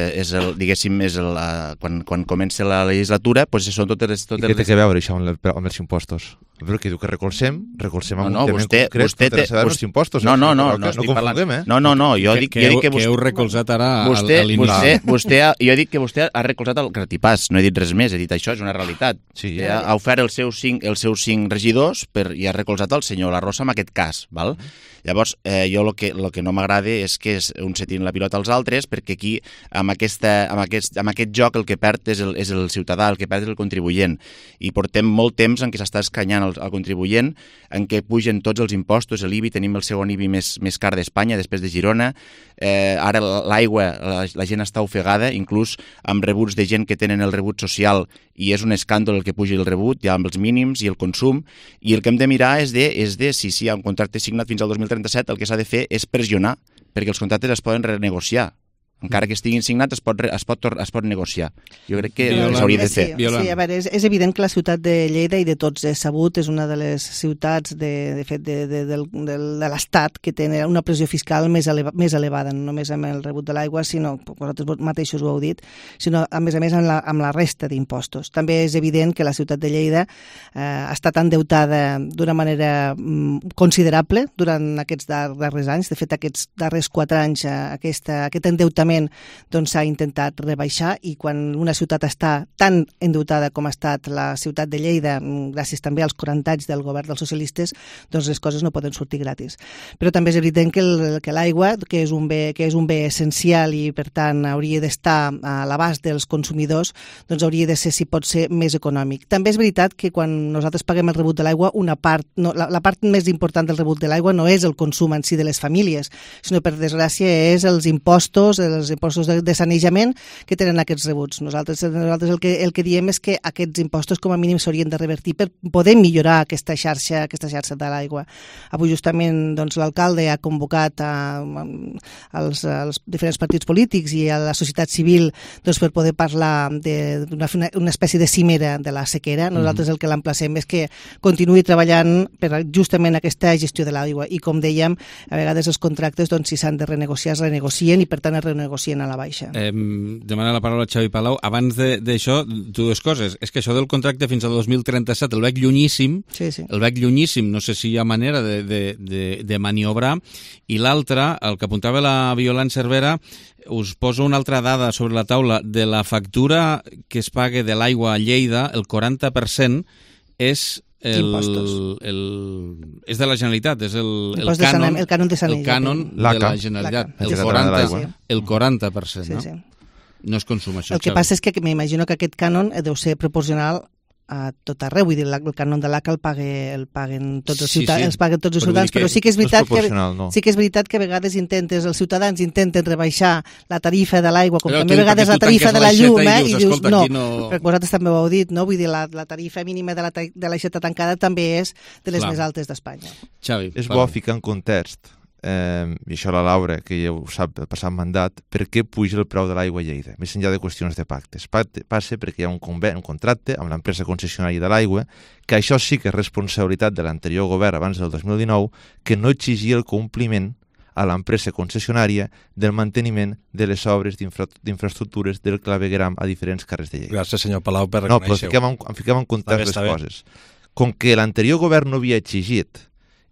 quan comença la legislatura, doncs són totes... I què té a veure això amb els impostos? Però que diu que recolzem amb un tema concret per els impostos. No estic parlant. No, jo dic que heu recolzat ara a l'inici. Jo dic que vostè ha recolzat el cartipàs, no he dit res més, he dit això, és una realitat. Ha ofert els seus 5 regidors i ha recolzat el senyor La Rosa en aquest cas, val? Llavors, jo el que no m'agrada és que uns se tirin la pilota als altres, perquè aquí, amb aquest joc, el que perd és el ciutadà, el que perd és el contribuent. I portem molt temps en què s'està escanyant al contribuent, en què pugen tots els impostos, l'IBI, tenim el segon IBI més car d'Espanya, després de Girona. Ara l'aigua, la gent està ofegada, inclús amb rebuts de gent que tenen el rebut social, i és un escàndol el que pugi el rebut, ja amb els mínims i el consum, i el que hem de mirar és de si hi ha un contracte signat fins al 2037, el que s'ha de fer és pressionar, perquè els contractes es poden renegociar. Encara que estiguin signats, es pot negociar. Jo crec que s'hauria de fer. Sí, a veure, és evident que la ciutat de Lleida, i de tots és sabut, és una de les ciutats de l'Estat que té una pressió fiscal més elevada, no només amb el rebut de l'aigua, sinó, vosaltres mateixos ho heu dit, sinó a més amb la resta d'impostos. També és evident que la ciutat de Lleida ha estat endeutada d'una manera considerable durant aquests darrers anys. De fet, aquests darrers 4 anys aquest endeutament Ajustament s'ha intentat rebaixar, i quan una ciutat està tan endeutada com ha estat la ciutat de Lleida, gràcies també als 40 anys del govern dels socialistes, doncs les coses no poden sortir gratis. Però també és evident que l'aigua, que és un bé essencial i per tant hauria d'estar a l'abast dels consumidors, doncs hauria de ser, si pot ser, més econòmic. També és veritat que quan nosaltres paguem el rebut de l'aigua, la part més important del rebut de l'aigua no és el consum en si de les famílies, sinó, per desgràcia, és els impostos de sanejament que tenen aquests rebuts. Nosaltres el que diem és que aquests impostos com a mínim s'haurien de revertir per poder millorar aquesta xarxa de l'aigua. Avui justament l'alcalde ha convocat als diferents partits polítics i a la societat civil per poder parlar d'una espècie de cimera de la sequera. Nosaltres el que l'emplacem és que continuï treballant per justament aquesta gestió de l'aigua, i com dèiem, a vegades els contractes, si s'han de renegociar, es renegocien, i per tant es renegocien a la baixa. Demana la paraula a Xavi Palau. Abans d'això, dues coses. És que això del contracte fins al 2037 el veig llunyíssim, no sé si hi ha manera de maniobrar, i l'altre, el que apuntava la Violant Cervera, us poso una altra dada sobre la taula. De la factura que es paga de l'aigua a Lleida, el 40% és és de la Generalitat, és el cànon de la Generalitat, el 40%, no? No es consuma això. El que passa és que m'imagino que aquest cànon deu ser proporcional a tot arreu, vull dir, el cànon de l'ACA el paguen tots els ciutadans, però sí que és veritat que a vegades els ciutadans intenten rebaixar la tarifa de l'aigua, com també a vegades la tarifa de la llum, i dius, no, perquè vosaltres també ho heu dit, no? Vull dir, la tarifa mínima de l'aixeta tancada també és de les més altes d'Espanya. És bo ficar en context, i això la Laura, que ja ho sap del passat mandat, per què puja el preu de l'aigua a Lleida, més enllà de qüestions de pactes. Passa perquè hi ha un contracte amb l'empresa concessionària de l'aigua, que això sí que és responsabilitat de l'anterior govern abans del 2019, que no exigia el compliment a l'empresa concessionària del manteniment de les obres d'infraestructures del clavegueram a diferents carrers de Lleida. Gràcies, senyor Palau, per reconèixer-ho. No, però fiquem en context les coses. Com que l'anterior govern no havia exigit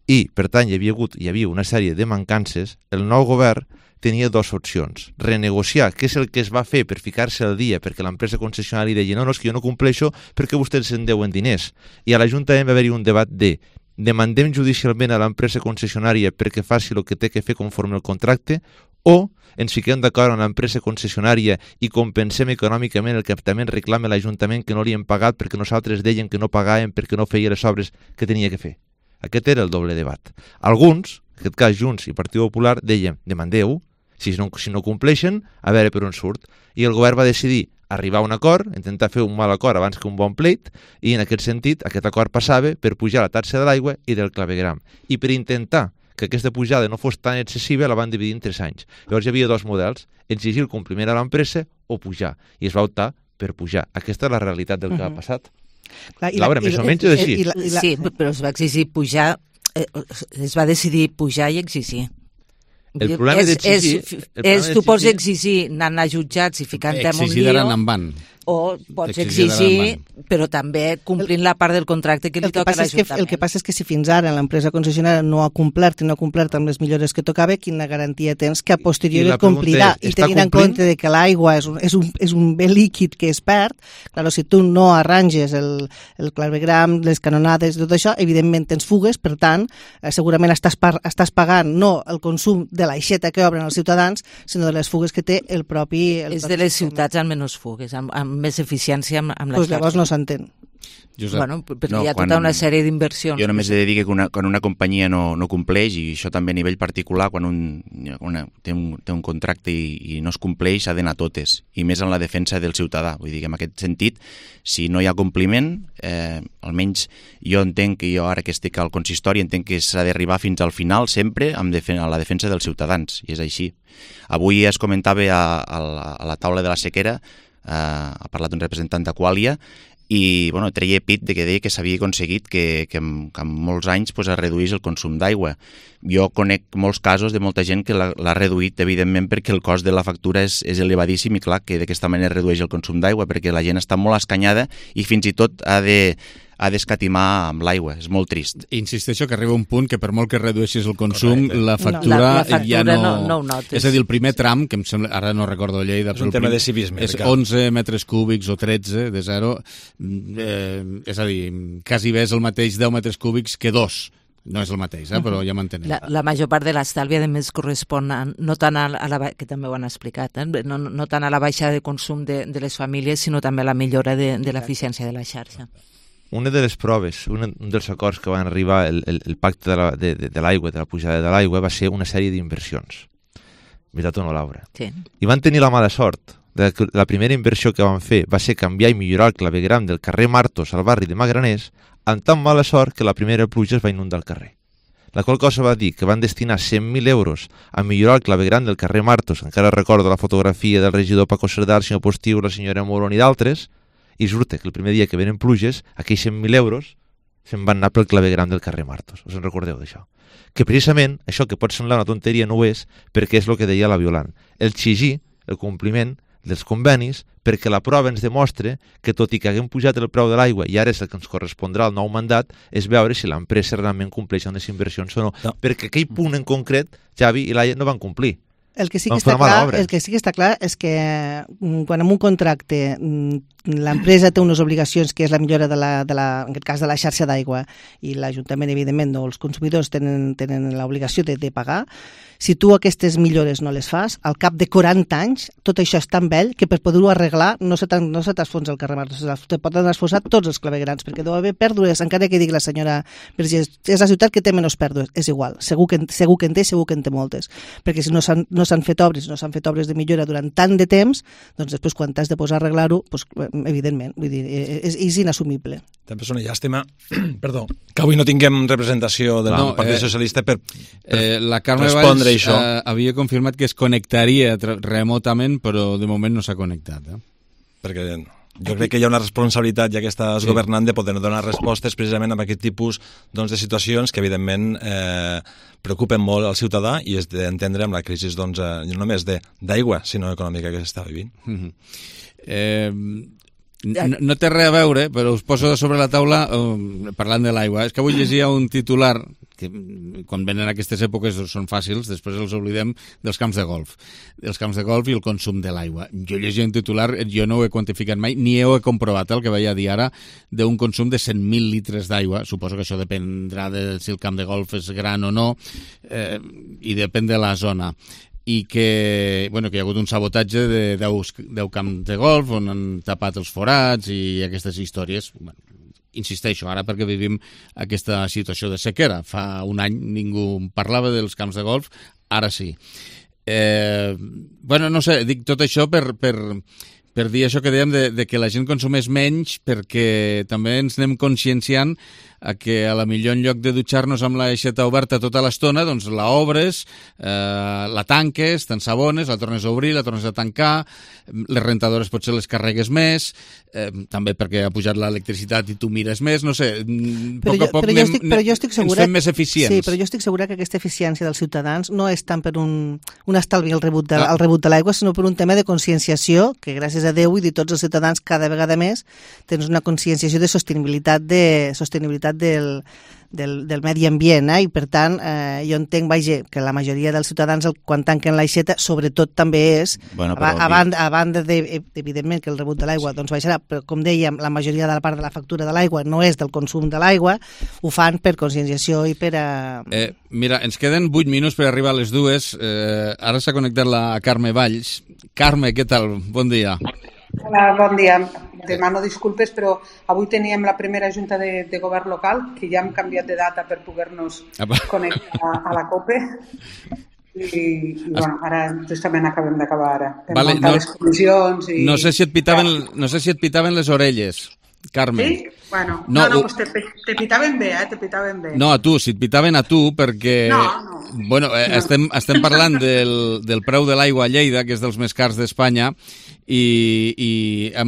i, per tant, hi havia una sèrie de mancances, el nou govern tenia dues opcions. Renegociar, que és el que es va fer per ficar-se al dia, perquè l'empresa concessionària deia no, és que jo no compleixo perquè vostès se'n deuen diners. I a l'Ajuntament va haver-hi un debat de demandem judicialment a l'empresa concessionària perquè faci el que té que fer conforme al contracte, o ens fiquem d'acord amb l'empresa concessionària i compensem econòmicament el que també reclama l'Ajuntament que no li hem pagat perquè nosaltres dèiem que no pagàvem perquè no feia les obres que tenia que fer. Aquest era el doble debat. Alguns, en aquest cas Junts i Partit Popular, deien, demandeu, si no compleixen, a veure per on surt. I el govern va decidir arribar a un acord, intentar fer un mal acord abans que un bon pleit, i en aquest sentit aquest acord passava per pujar la taxa de l'aigua i del clavegueram. I per intentar que aquesta pujada no fos tan excessiva, la van dividir en 3 anys. Llavors hi havia dos models, exigir el compliment a l'empresa o pujar. I es va optar per pujar. Aquesta és la realitat del que ha passat. Laura, més o menys és així. Sí, però es va exigir pujar, es va decidir pujar i exigir. El problema d'exigir... Tu pots exigir anant a jutjats i ficant-te en un lío, o pots exigir, però també complint la part del contracte que li toca a l'Ajuntament. El que passa és que si fins ara l'empresa concessionària no ha complert amb les millores que tocava, quina garantia tens que a posteriori et complirà? I tenint en compte que l'aigua és un bé líquid que es perd, clar, si tu no arranges el clavegueram, les canonades, tot això, evidentment tens fugues, per tant, segurament estàs pagant no el consum de l'aixeta que obren els ciutadans, sinó de les fugues que té el propi... És de les ciutats amb menys fugues, amb més eficiència amb la xarxa. Llavors no s'entén. Bueno, perquè hi ha tota una sèrie d'inversions. Jo només he de dir que quan una companyia no compleix, i això també a nivell particular, quan té un contracte i no es compleix, s'ha d'anar totes, i més en la defensa del ciutadà. Vull dir que en aquest sentit, si no hi ha compliment, almenys jo entenc que jo ara que estic al consistori entenc que s'ha d'arribar fins al final sempre a la defensa dels ciutadans, i és així. Avui es comentava a la taula de la sequera, ha parlat un representant d'Aquàlia, i treia pit de que deia que s'havia aconseguit que en molts anys es reduís el consum d'aigua. Jo conec molts casos de molta gent que l'ha reduït, evidentment, perquè el cost de la factura és elevadíssim, i clar que d'aquesta manera redueix el consum d'aigua, perquè la gent està molt escanyada i fins i tot ha ha d'escatimar amb l'aigua. És molt trist. Insisteixo que arriba un punt que per molt que redueixis el consum, la factura ja no... És a dir, el primer tram, que em sembla, ara no recordo Lleida, és un tema de civisme. És 11 metres cúbics o 13 de zero, és a dir, quasi bé és el mateix 10 metres cúbics que 2. No és el mateix, però ja m'entenem. La major part de l'estalvi, a més, correspon no tant a la que també ho han explicat, no tant a la baixada de consum de les famílies, sinó també a la millora de l'eficiència de la xarxa. Una de les proves, un dels acords que van arribar el pacte de l'aigua, de la pujada de l'aigua, va ser una sèrie d'inversions. Veritat o no, Laura? Sí. I van tenir la mala sort. La primera inversió que van fer va ser canviar i millorar el clavegueram del carrer Martos al barri de Magraners, amb tan mala sort que la primera pluja es va inundar el carrer. La qual cosa va dir que van destinar 100.000 euros a millorar el clavegueram del carrer Martos, encara recordo la fotografia del regidor Paco Cerdà, el senyor Postiu, la senyora Moron i d'altres, i surta que el primer dia que venen pluges, aquells 100.000 euros se'n van anar pel clavegueram del carrer Martos. Us en recordeu d'això? Que precisament això que pot semblar una tonteria no ho és, perquè és el que deia la Violant. El exigir el compliment dels convenis perquè la prova ens demostra que tot i que haguem pujat el preu de l'aigua i ara és el que ens correspondrà al nou mandat és veure si l'empresa realment compleix amb les inversions o no. Perquè aquell punt en concret, Xavi i Laia no van complir. El que sí que està clar és que quan en un contracte l'empresa té unes obligacions que és la millora en aquest cas de la xarxa d'aigua i l'Ajuntament, evidentment, els consumidors tenen l'obligació de pagar, si tu aquestes millores no les fas, al cap de 40 anys tot això és tan vell que per poder-ho arreglar no se t'esfonsa el carrer Martos, te poden esfonsar tots els claveguerams, perquè deu haver pèrdues, encara que digui la senyora Vergés, és la ciutat que té menys pèrdues, és igual, segur que en té, segur que en té moltes, perquè si no s'han fet obres de millora durant tant de temps, doncs després quan t'has de posar a arreglar-ho, doncs, evidentment, vull dir, és inassumible. També és una llàstima, perdó, que avui no tinguem representació del Partit Socialista per la Carme respondre això. Havia confirmat que es connectaria remotament, però de moment no s'ha connectat. Perquè jo crec que hi ha una responsabilitat, ja que estàs governant, de poder donar respostes precisament a aquest tipus de situacions que, evidentment, preocupen molt al ciutadà i és d'entendre amb la crisi no només d'aigua, sinó econòmica que s'està vivint. No té res a veure, però us poso sobre la taula parlant de l'aigua. És que avui llegia un titular que quan venen aquestes èpoques són fàcils, després els oblidem, dels camps de golf. Dels camps de golf i el consum de l'aigua. Jo llegia un titular, jo no ho he quantificat mai, ni ho he comprovat, el que vaig a dir ara, d'un consum de 100.000 litres d'aigua. Suposo que això dependrà de si el camp de golf és gran o no, i depèn de la zona. I que hi ha hagut un sabotatge de 10 camps de golf on han tapat els forats i aquestes històries. Insisteixo, ara perquè vivim aquesta situació de sequera. Fa un any ningú parlava dels camps de golf, ara sí. No sé, dic tot això per dir això que dèiem de que la gent consumeix menys, perquè també ens anem conscienciant a que a la millor en lloc de dutxar-nos amb l'aixeta oberta tota l'estona, doncs la obres, la tanques, t'ensabones, la tornes a obrir, la tornes a tancar, les rentadores potser les carregues més, també perquè ha pujat l'electricitat i tu mires més, no sé, a poc a poc ens fem més eficients. Sí, però jo estic segura que aquesta eficiència dels ciutadans no és tant per un estalvi al rebut de l'aigua, sinó per un tema de conscienciació, que gràcies a Déu i de tots els ciutadans cada vegada més tens una conscienciació de sostenibilitat del medi ambient, i per tant jo entenc que la majoria dels ciutadans quan tanquen l'aixeta sobretot també és a banda evidentment que el rebut de l'aigua doncs baixarà, però com dèiem la majoria de la part de la factura de l'aigua no és del consum de l'aigua, ho fan per conscienciació i per Mira, ens queden 8 minuts per arribar a les 2. Ara s'ha connectat la Carme Valls. Carme, què tal? Bon dia. Hola, bon dia. Demano disculpes, però avui teníem la primera junta de govern local, que ja hem canviat de data per poder-nos connectar a la COPE. I ara justament acabem d'acabar ara. Vale, les comissions i... No sé si et pitaven les orelles, Carme. Sí? Bueno, pues te pitaven bé, te pitaven bé. No, a tu, si et pitaven a tu, perquè... No. Bueno, estem parlant del preu de l'aigua a Lleida, que és dels més cars d'Espanya, i a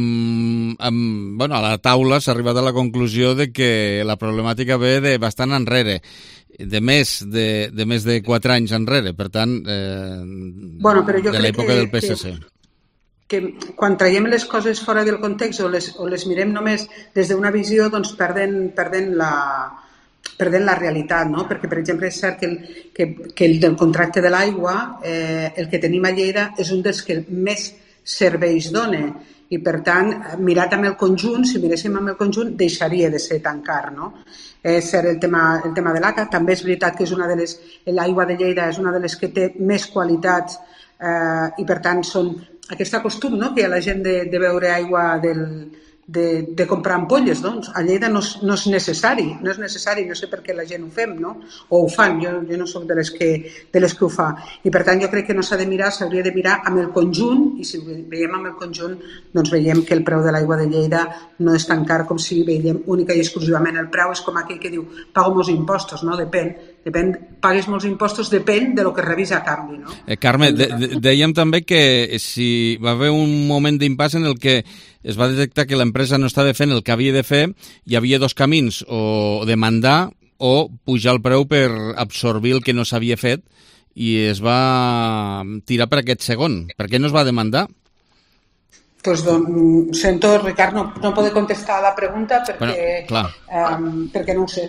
la taula s'ha arribat a la conclusió de que la problemàtica ve de bastant enrere, de més de 4 anys enrere, per tant, de l'època del PSC. que quan traiem les coses fora del context o les mirem només des d'una visió, doncs perden la realitat, no? Perquè, per exemple, és cert que el del contracte de l'aigua, el que tenim a Lleida és un dels que més serveis dona i, per tant, mirat amb el conjunt, si miréssim amb el conjunt, deixaria de ser tan car, no? És cert el tema de l'ACA, també és veritat que l'aigua de Lleida és una de les que té més qualitats i, per tant, són aquest costum, no?, que hi ha la gent de beure aigua de comprar ampolles, doncs a Lleida no és necessari, no sé per què la gent ho fem, no? O ho fan, jo no soc de les que ho fa. I per tant jo crec que no s'hauria de mirar amb el conjunt, i si ho veiem amb el conjunt, doncs veiem que el preu de l'aigua de Lleida no és tan car com si veiem única i exclusivament el preu. És com aquell que diu, pago molts impostos, no? Depèn, pagues molts impostos, depèn de lo que rebis a canvi, no? Carme, dèiem també que si va haver un moment d'impàs en el que es va detectar que l'empresa no estava fent el que havia de fer, hi havia dos camins, o demandar o pujar el preu per absorbir el que no s'havia fet, i es va tirar per aquest segon. Per què no es va demandar? Pues sento, Ricard, no poder contestar a la pregunta perquè no ho sé,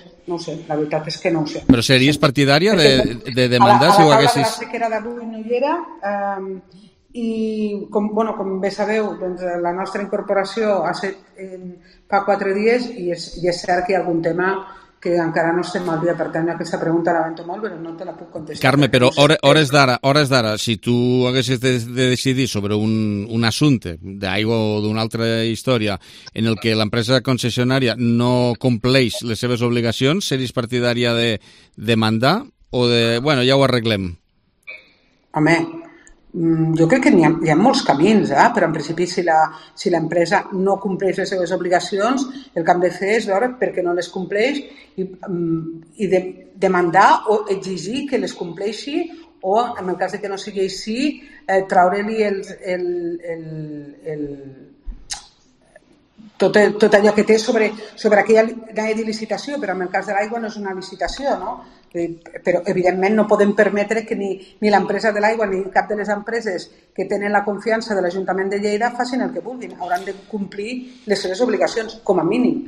la veritat és que no ho sé. Però series partidària de demandar si ho haguessis... A la taula de la d'avui no hi era, i com bé sabeu, doncs, la nostra incorporació ha estat fa 4 dies i és cert que hi ha algun tema que encara no estem al dia, per tant aquesta pregunta la lamento molt, però no te la puc contestar. Carme, però hores d'ara, si tu haguessis de decidir sobre un assumpte d'aigua o d'una altra història en el que l'empresa concessionària no compleix les seves obligacions, series partidària de demandar o de, bueno, ja ho arreglem? Home, jo crec que hi ha molts camins, però en principi si l'empresa no compleix les seves obligacions, el que hem de fer és veure per què no les compleix i demandar o exigir que les compleixi, o en el cas de que no sigui així, treure-li tot allò que té sobre aquella de licitació, però en el cas de l'aigua no és una licitació, no? Però evidentment no podem permetre que ni l'empresa de l'aigua ni cap de les empreses que tenen la confiança de l'Ajuntament de Lleida facin el que vulguin, hauran de complir les seves obligacions, com a mínim.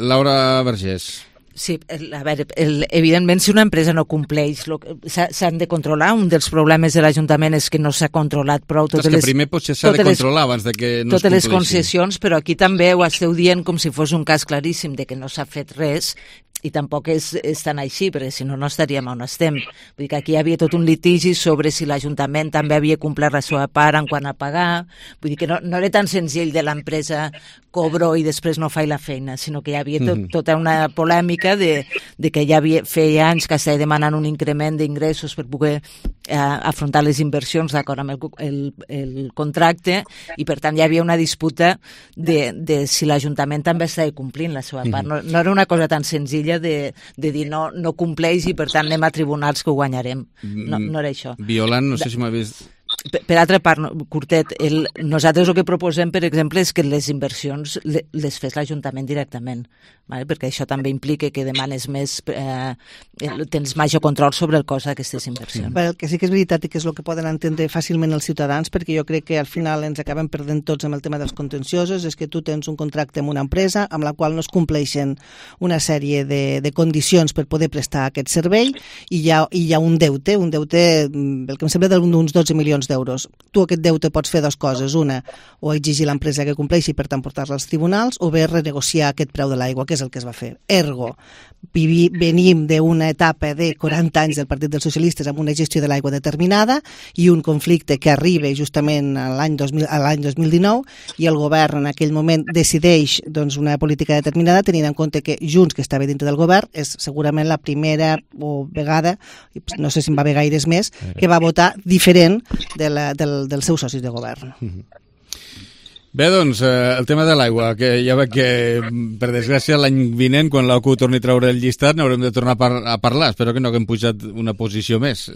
Laura Vergés. Sí, a veure, evidentment si una empresa no compleix s'han de controlar. Un dels problemes de l'Ajuntament és que no s'ha controlat prou totes les... primer potser s'ha de controlar abans de que no es compleixi. Totes les concessions, però aquí també ho esteu dient com si fos un cas claríssim de que no s'ha fet res, i tampoc és tan així, perquè si no, no estaríem on estem. Vull dir que aquí hi havia tot un litigi sobre si l'Ajuntament també havia complert la seva part en quant a pagar. Vull dir que no era tan senzill de l'empresa cobro i després no faig la feina, sinó que hi havia tota una polèmica de que ja feia anys que estava demanant un increment d'ingressos per poder afrontar les inversions d'acord amb el contracte, i per tant hi havia una disputa de si l'Ajuntament també estava complint la seva part. No era una cosa tan senzilla de dir no compleix i per tant anem a tribunals que ho guanyarem. No era això. Violant, no sé si m'ha vist... Per altra part, curtet, nosaltres el que proposem, per exemple, és que les inversions les fes l'Ajuntament directament, perquè això també implica que demanes més, tens major control sobre el cost d'aquestes inversions. El que sí que és veritat i que és el que poden entendre fàcilment els ciutadans, perquè jo crec que al final ens acabem perdent tots amb el tema dels contenciosos, és que tu tens un contracte amb una empresa amb la qual no es compleixen una sèrie de condicions per poder prestar aquest servei i hi ha un deute, el que em sembla d'uns 12 milions d'euros. Tu aquest deute pots fer dues coses. Una, o exigir a l'empresa que compleixi i per tant portar-la als tribunals, o bé renegociar aquest preu de l'aigua, que és el que es va fer. Ergo, venim d'una etapa de 40 anys del Partit dels Socialistes amb una gestió de l'aigua determinada i un conflicte que arriba justament a l'any 2019 i el govern en aquell moment decideix una política determinada, tenint en compte que Junts, que estava dintre del govern, és segurament la primera vegada, no sé si en va haver gaires més, que va votar diferent dels seus socis de govern. Bé, doncs, el tema de l'aigua, que ja veig que, per desgràcia, l'any vinent, quan l'OCU torni a treure el llistat, n'haurem de tornar a parlar. Espero que no haguem pujat una posició més,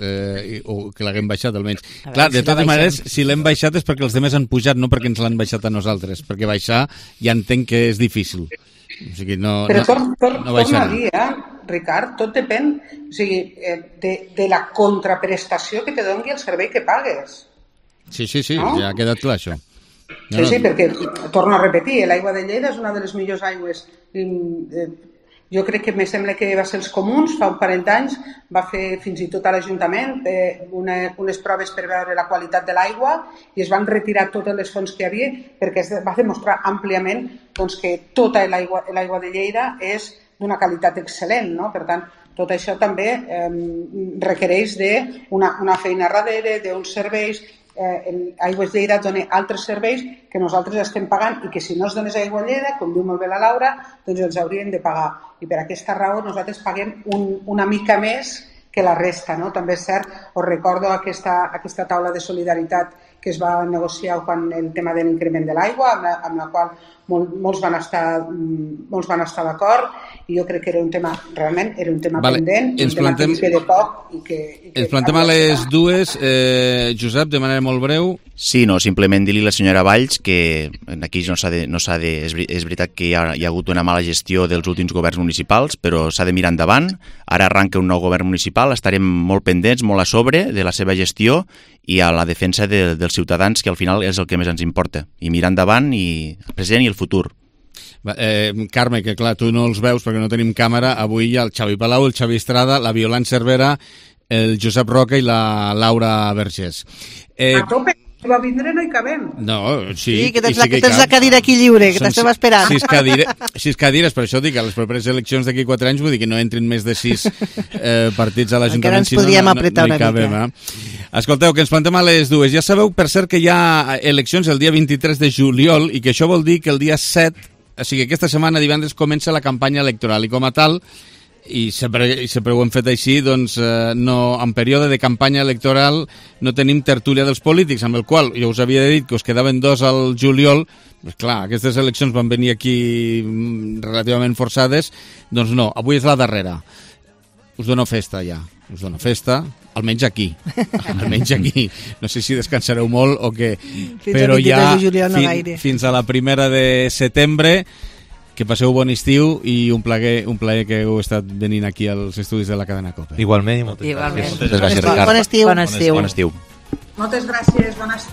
o que l'haguem baixat, almenys. Clar, de totes maneres, si l'hem baixat és perquè els demés han pujat, no perquè ens l'han baixat a nosaltres, perquè baixar ja entenc que és difícil. O sigui, però torna a dir, Ricard, tot depèn de la contraprestació que te doni el servei que pagues. Sí, ja ha quedat clar això. Sí, perquè, torno a repetir, l'aigua de Lleida és una de les millors aigües. Jo crec que me sembla que va ser els comuns, fa un parell d'anys, va fer fins i tot a l'Ajuntament unes proves per veure la qualitat de l'aigua i es van retirar totes les fonts que hi havia perquè es va demostrar àmpliament doncs, que tota l'aigua de Lleida és d'una qualitat excel·lent, no? Per tant, tot això també requereix d'una feina darrere, d'uns serveis. Aigües Lleida dona altres serveis que nosaltres estem pagant i que si no es donés Aigua Lleida, com diu molt bé la Laura, doncs els hauríem de pagar. I per aquesta raó nosaltres paguem una mica més que la resta, no? També és cert, us recordo aquesta taula de solidaritat que es va negociar quan el tema de l'increment de l'aigua, amb la qual molts van estar d'acord, i jo crec que era un tema, realment, era un tema pendent, un tema que queda poc i que... Ens plantem a les dues, Josep, de manera molt breu. Sí, no, simplement dir-li a la senyora Valls que aquí no s'ha de... És veritat que hi ha hagut una mala gestió dels últims governs municipals, però s'ha de mirar endavant. Ara arranca un nou govern municipal, estarem molt pendents, molt a sobre de la seva gestió i a la defensa dels ciutadans, que al final és el que més ens importa. I mirar endavant, i el present i el futur. Carme, que clar, tu no els veus perquè no tenim càmera, avui hi ha el Xavi Palau, el Xavi Estrada, la Violant Cervera, el Josep Roca i la Laura Vergés. A tope, si va vindre no hi cabem. No, sí. Sí, que tens la cadira aquí lliure, que t'estem esperant. 6 cadires, per això dic, a les properes eleccions d'aquí 4 anys, vull dir que no entrin més de 6 partits a l'Ajuntament, si no hi cabem. Escolteu, que ens plantem a les dues. Ja sabeu, per cert, que hi ha eleccions el dia 23 de juliol i que això vol dir que el dia 7, o sigui, aquesta setmana, divendres, comença la campanya electoral i com a tal, i sempre ho hem fet així, doncs en període de campanya electoral no tenim tertúlia dels polítics, amb el qual jo us havia dit que us quedaven 2 al juliol. Pues clar, aquestes eleccions van venir aquí relativament forçades, doncs no, avui és la darrera. Us dono festa ja, almenys aquí. No sé si descansareu molt o què, però ja fins a la 1 de setembre. Que passeu bon estiu i un plaer que heu estat venint aquí als estudis de la cadena COPE. Igualment i moltes gràcies. Moltes gràcies, Ricard. Bon estiu. Moltes gràcies, bon estiu.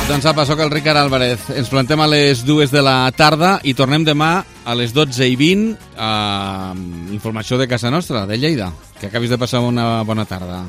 Doncs apa, soc el Ricard Álvarez. Ens plantem a les 2 de la tarda i tornem demà a les 12:20 amb informació de casa nostra, de Lleida. Que acabis de passar una bona tarda.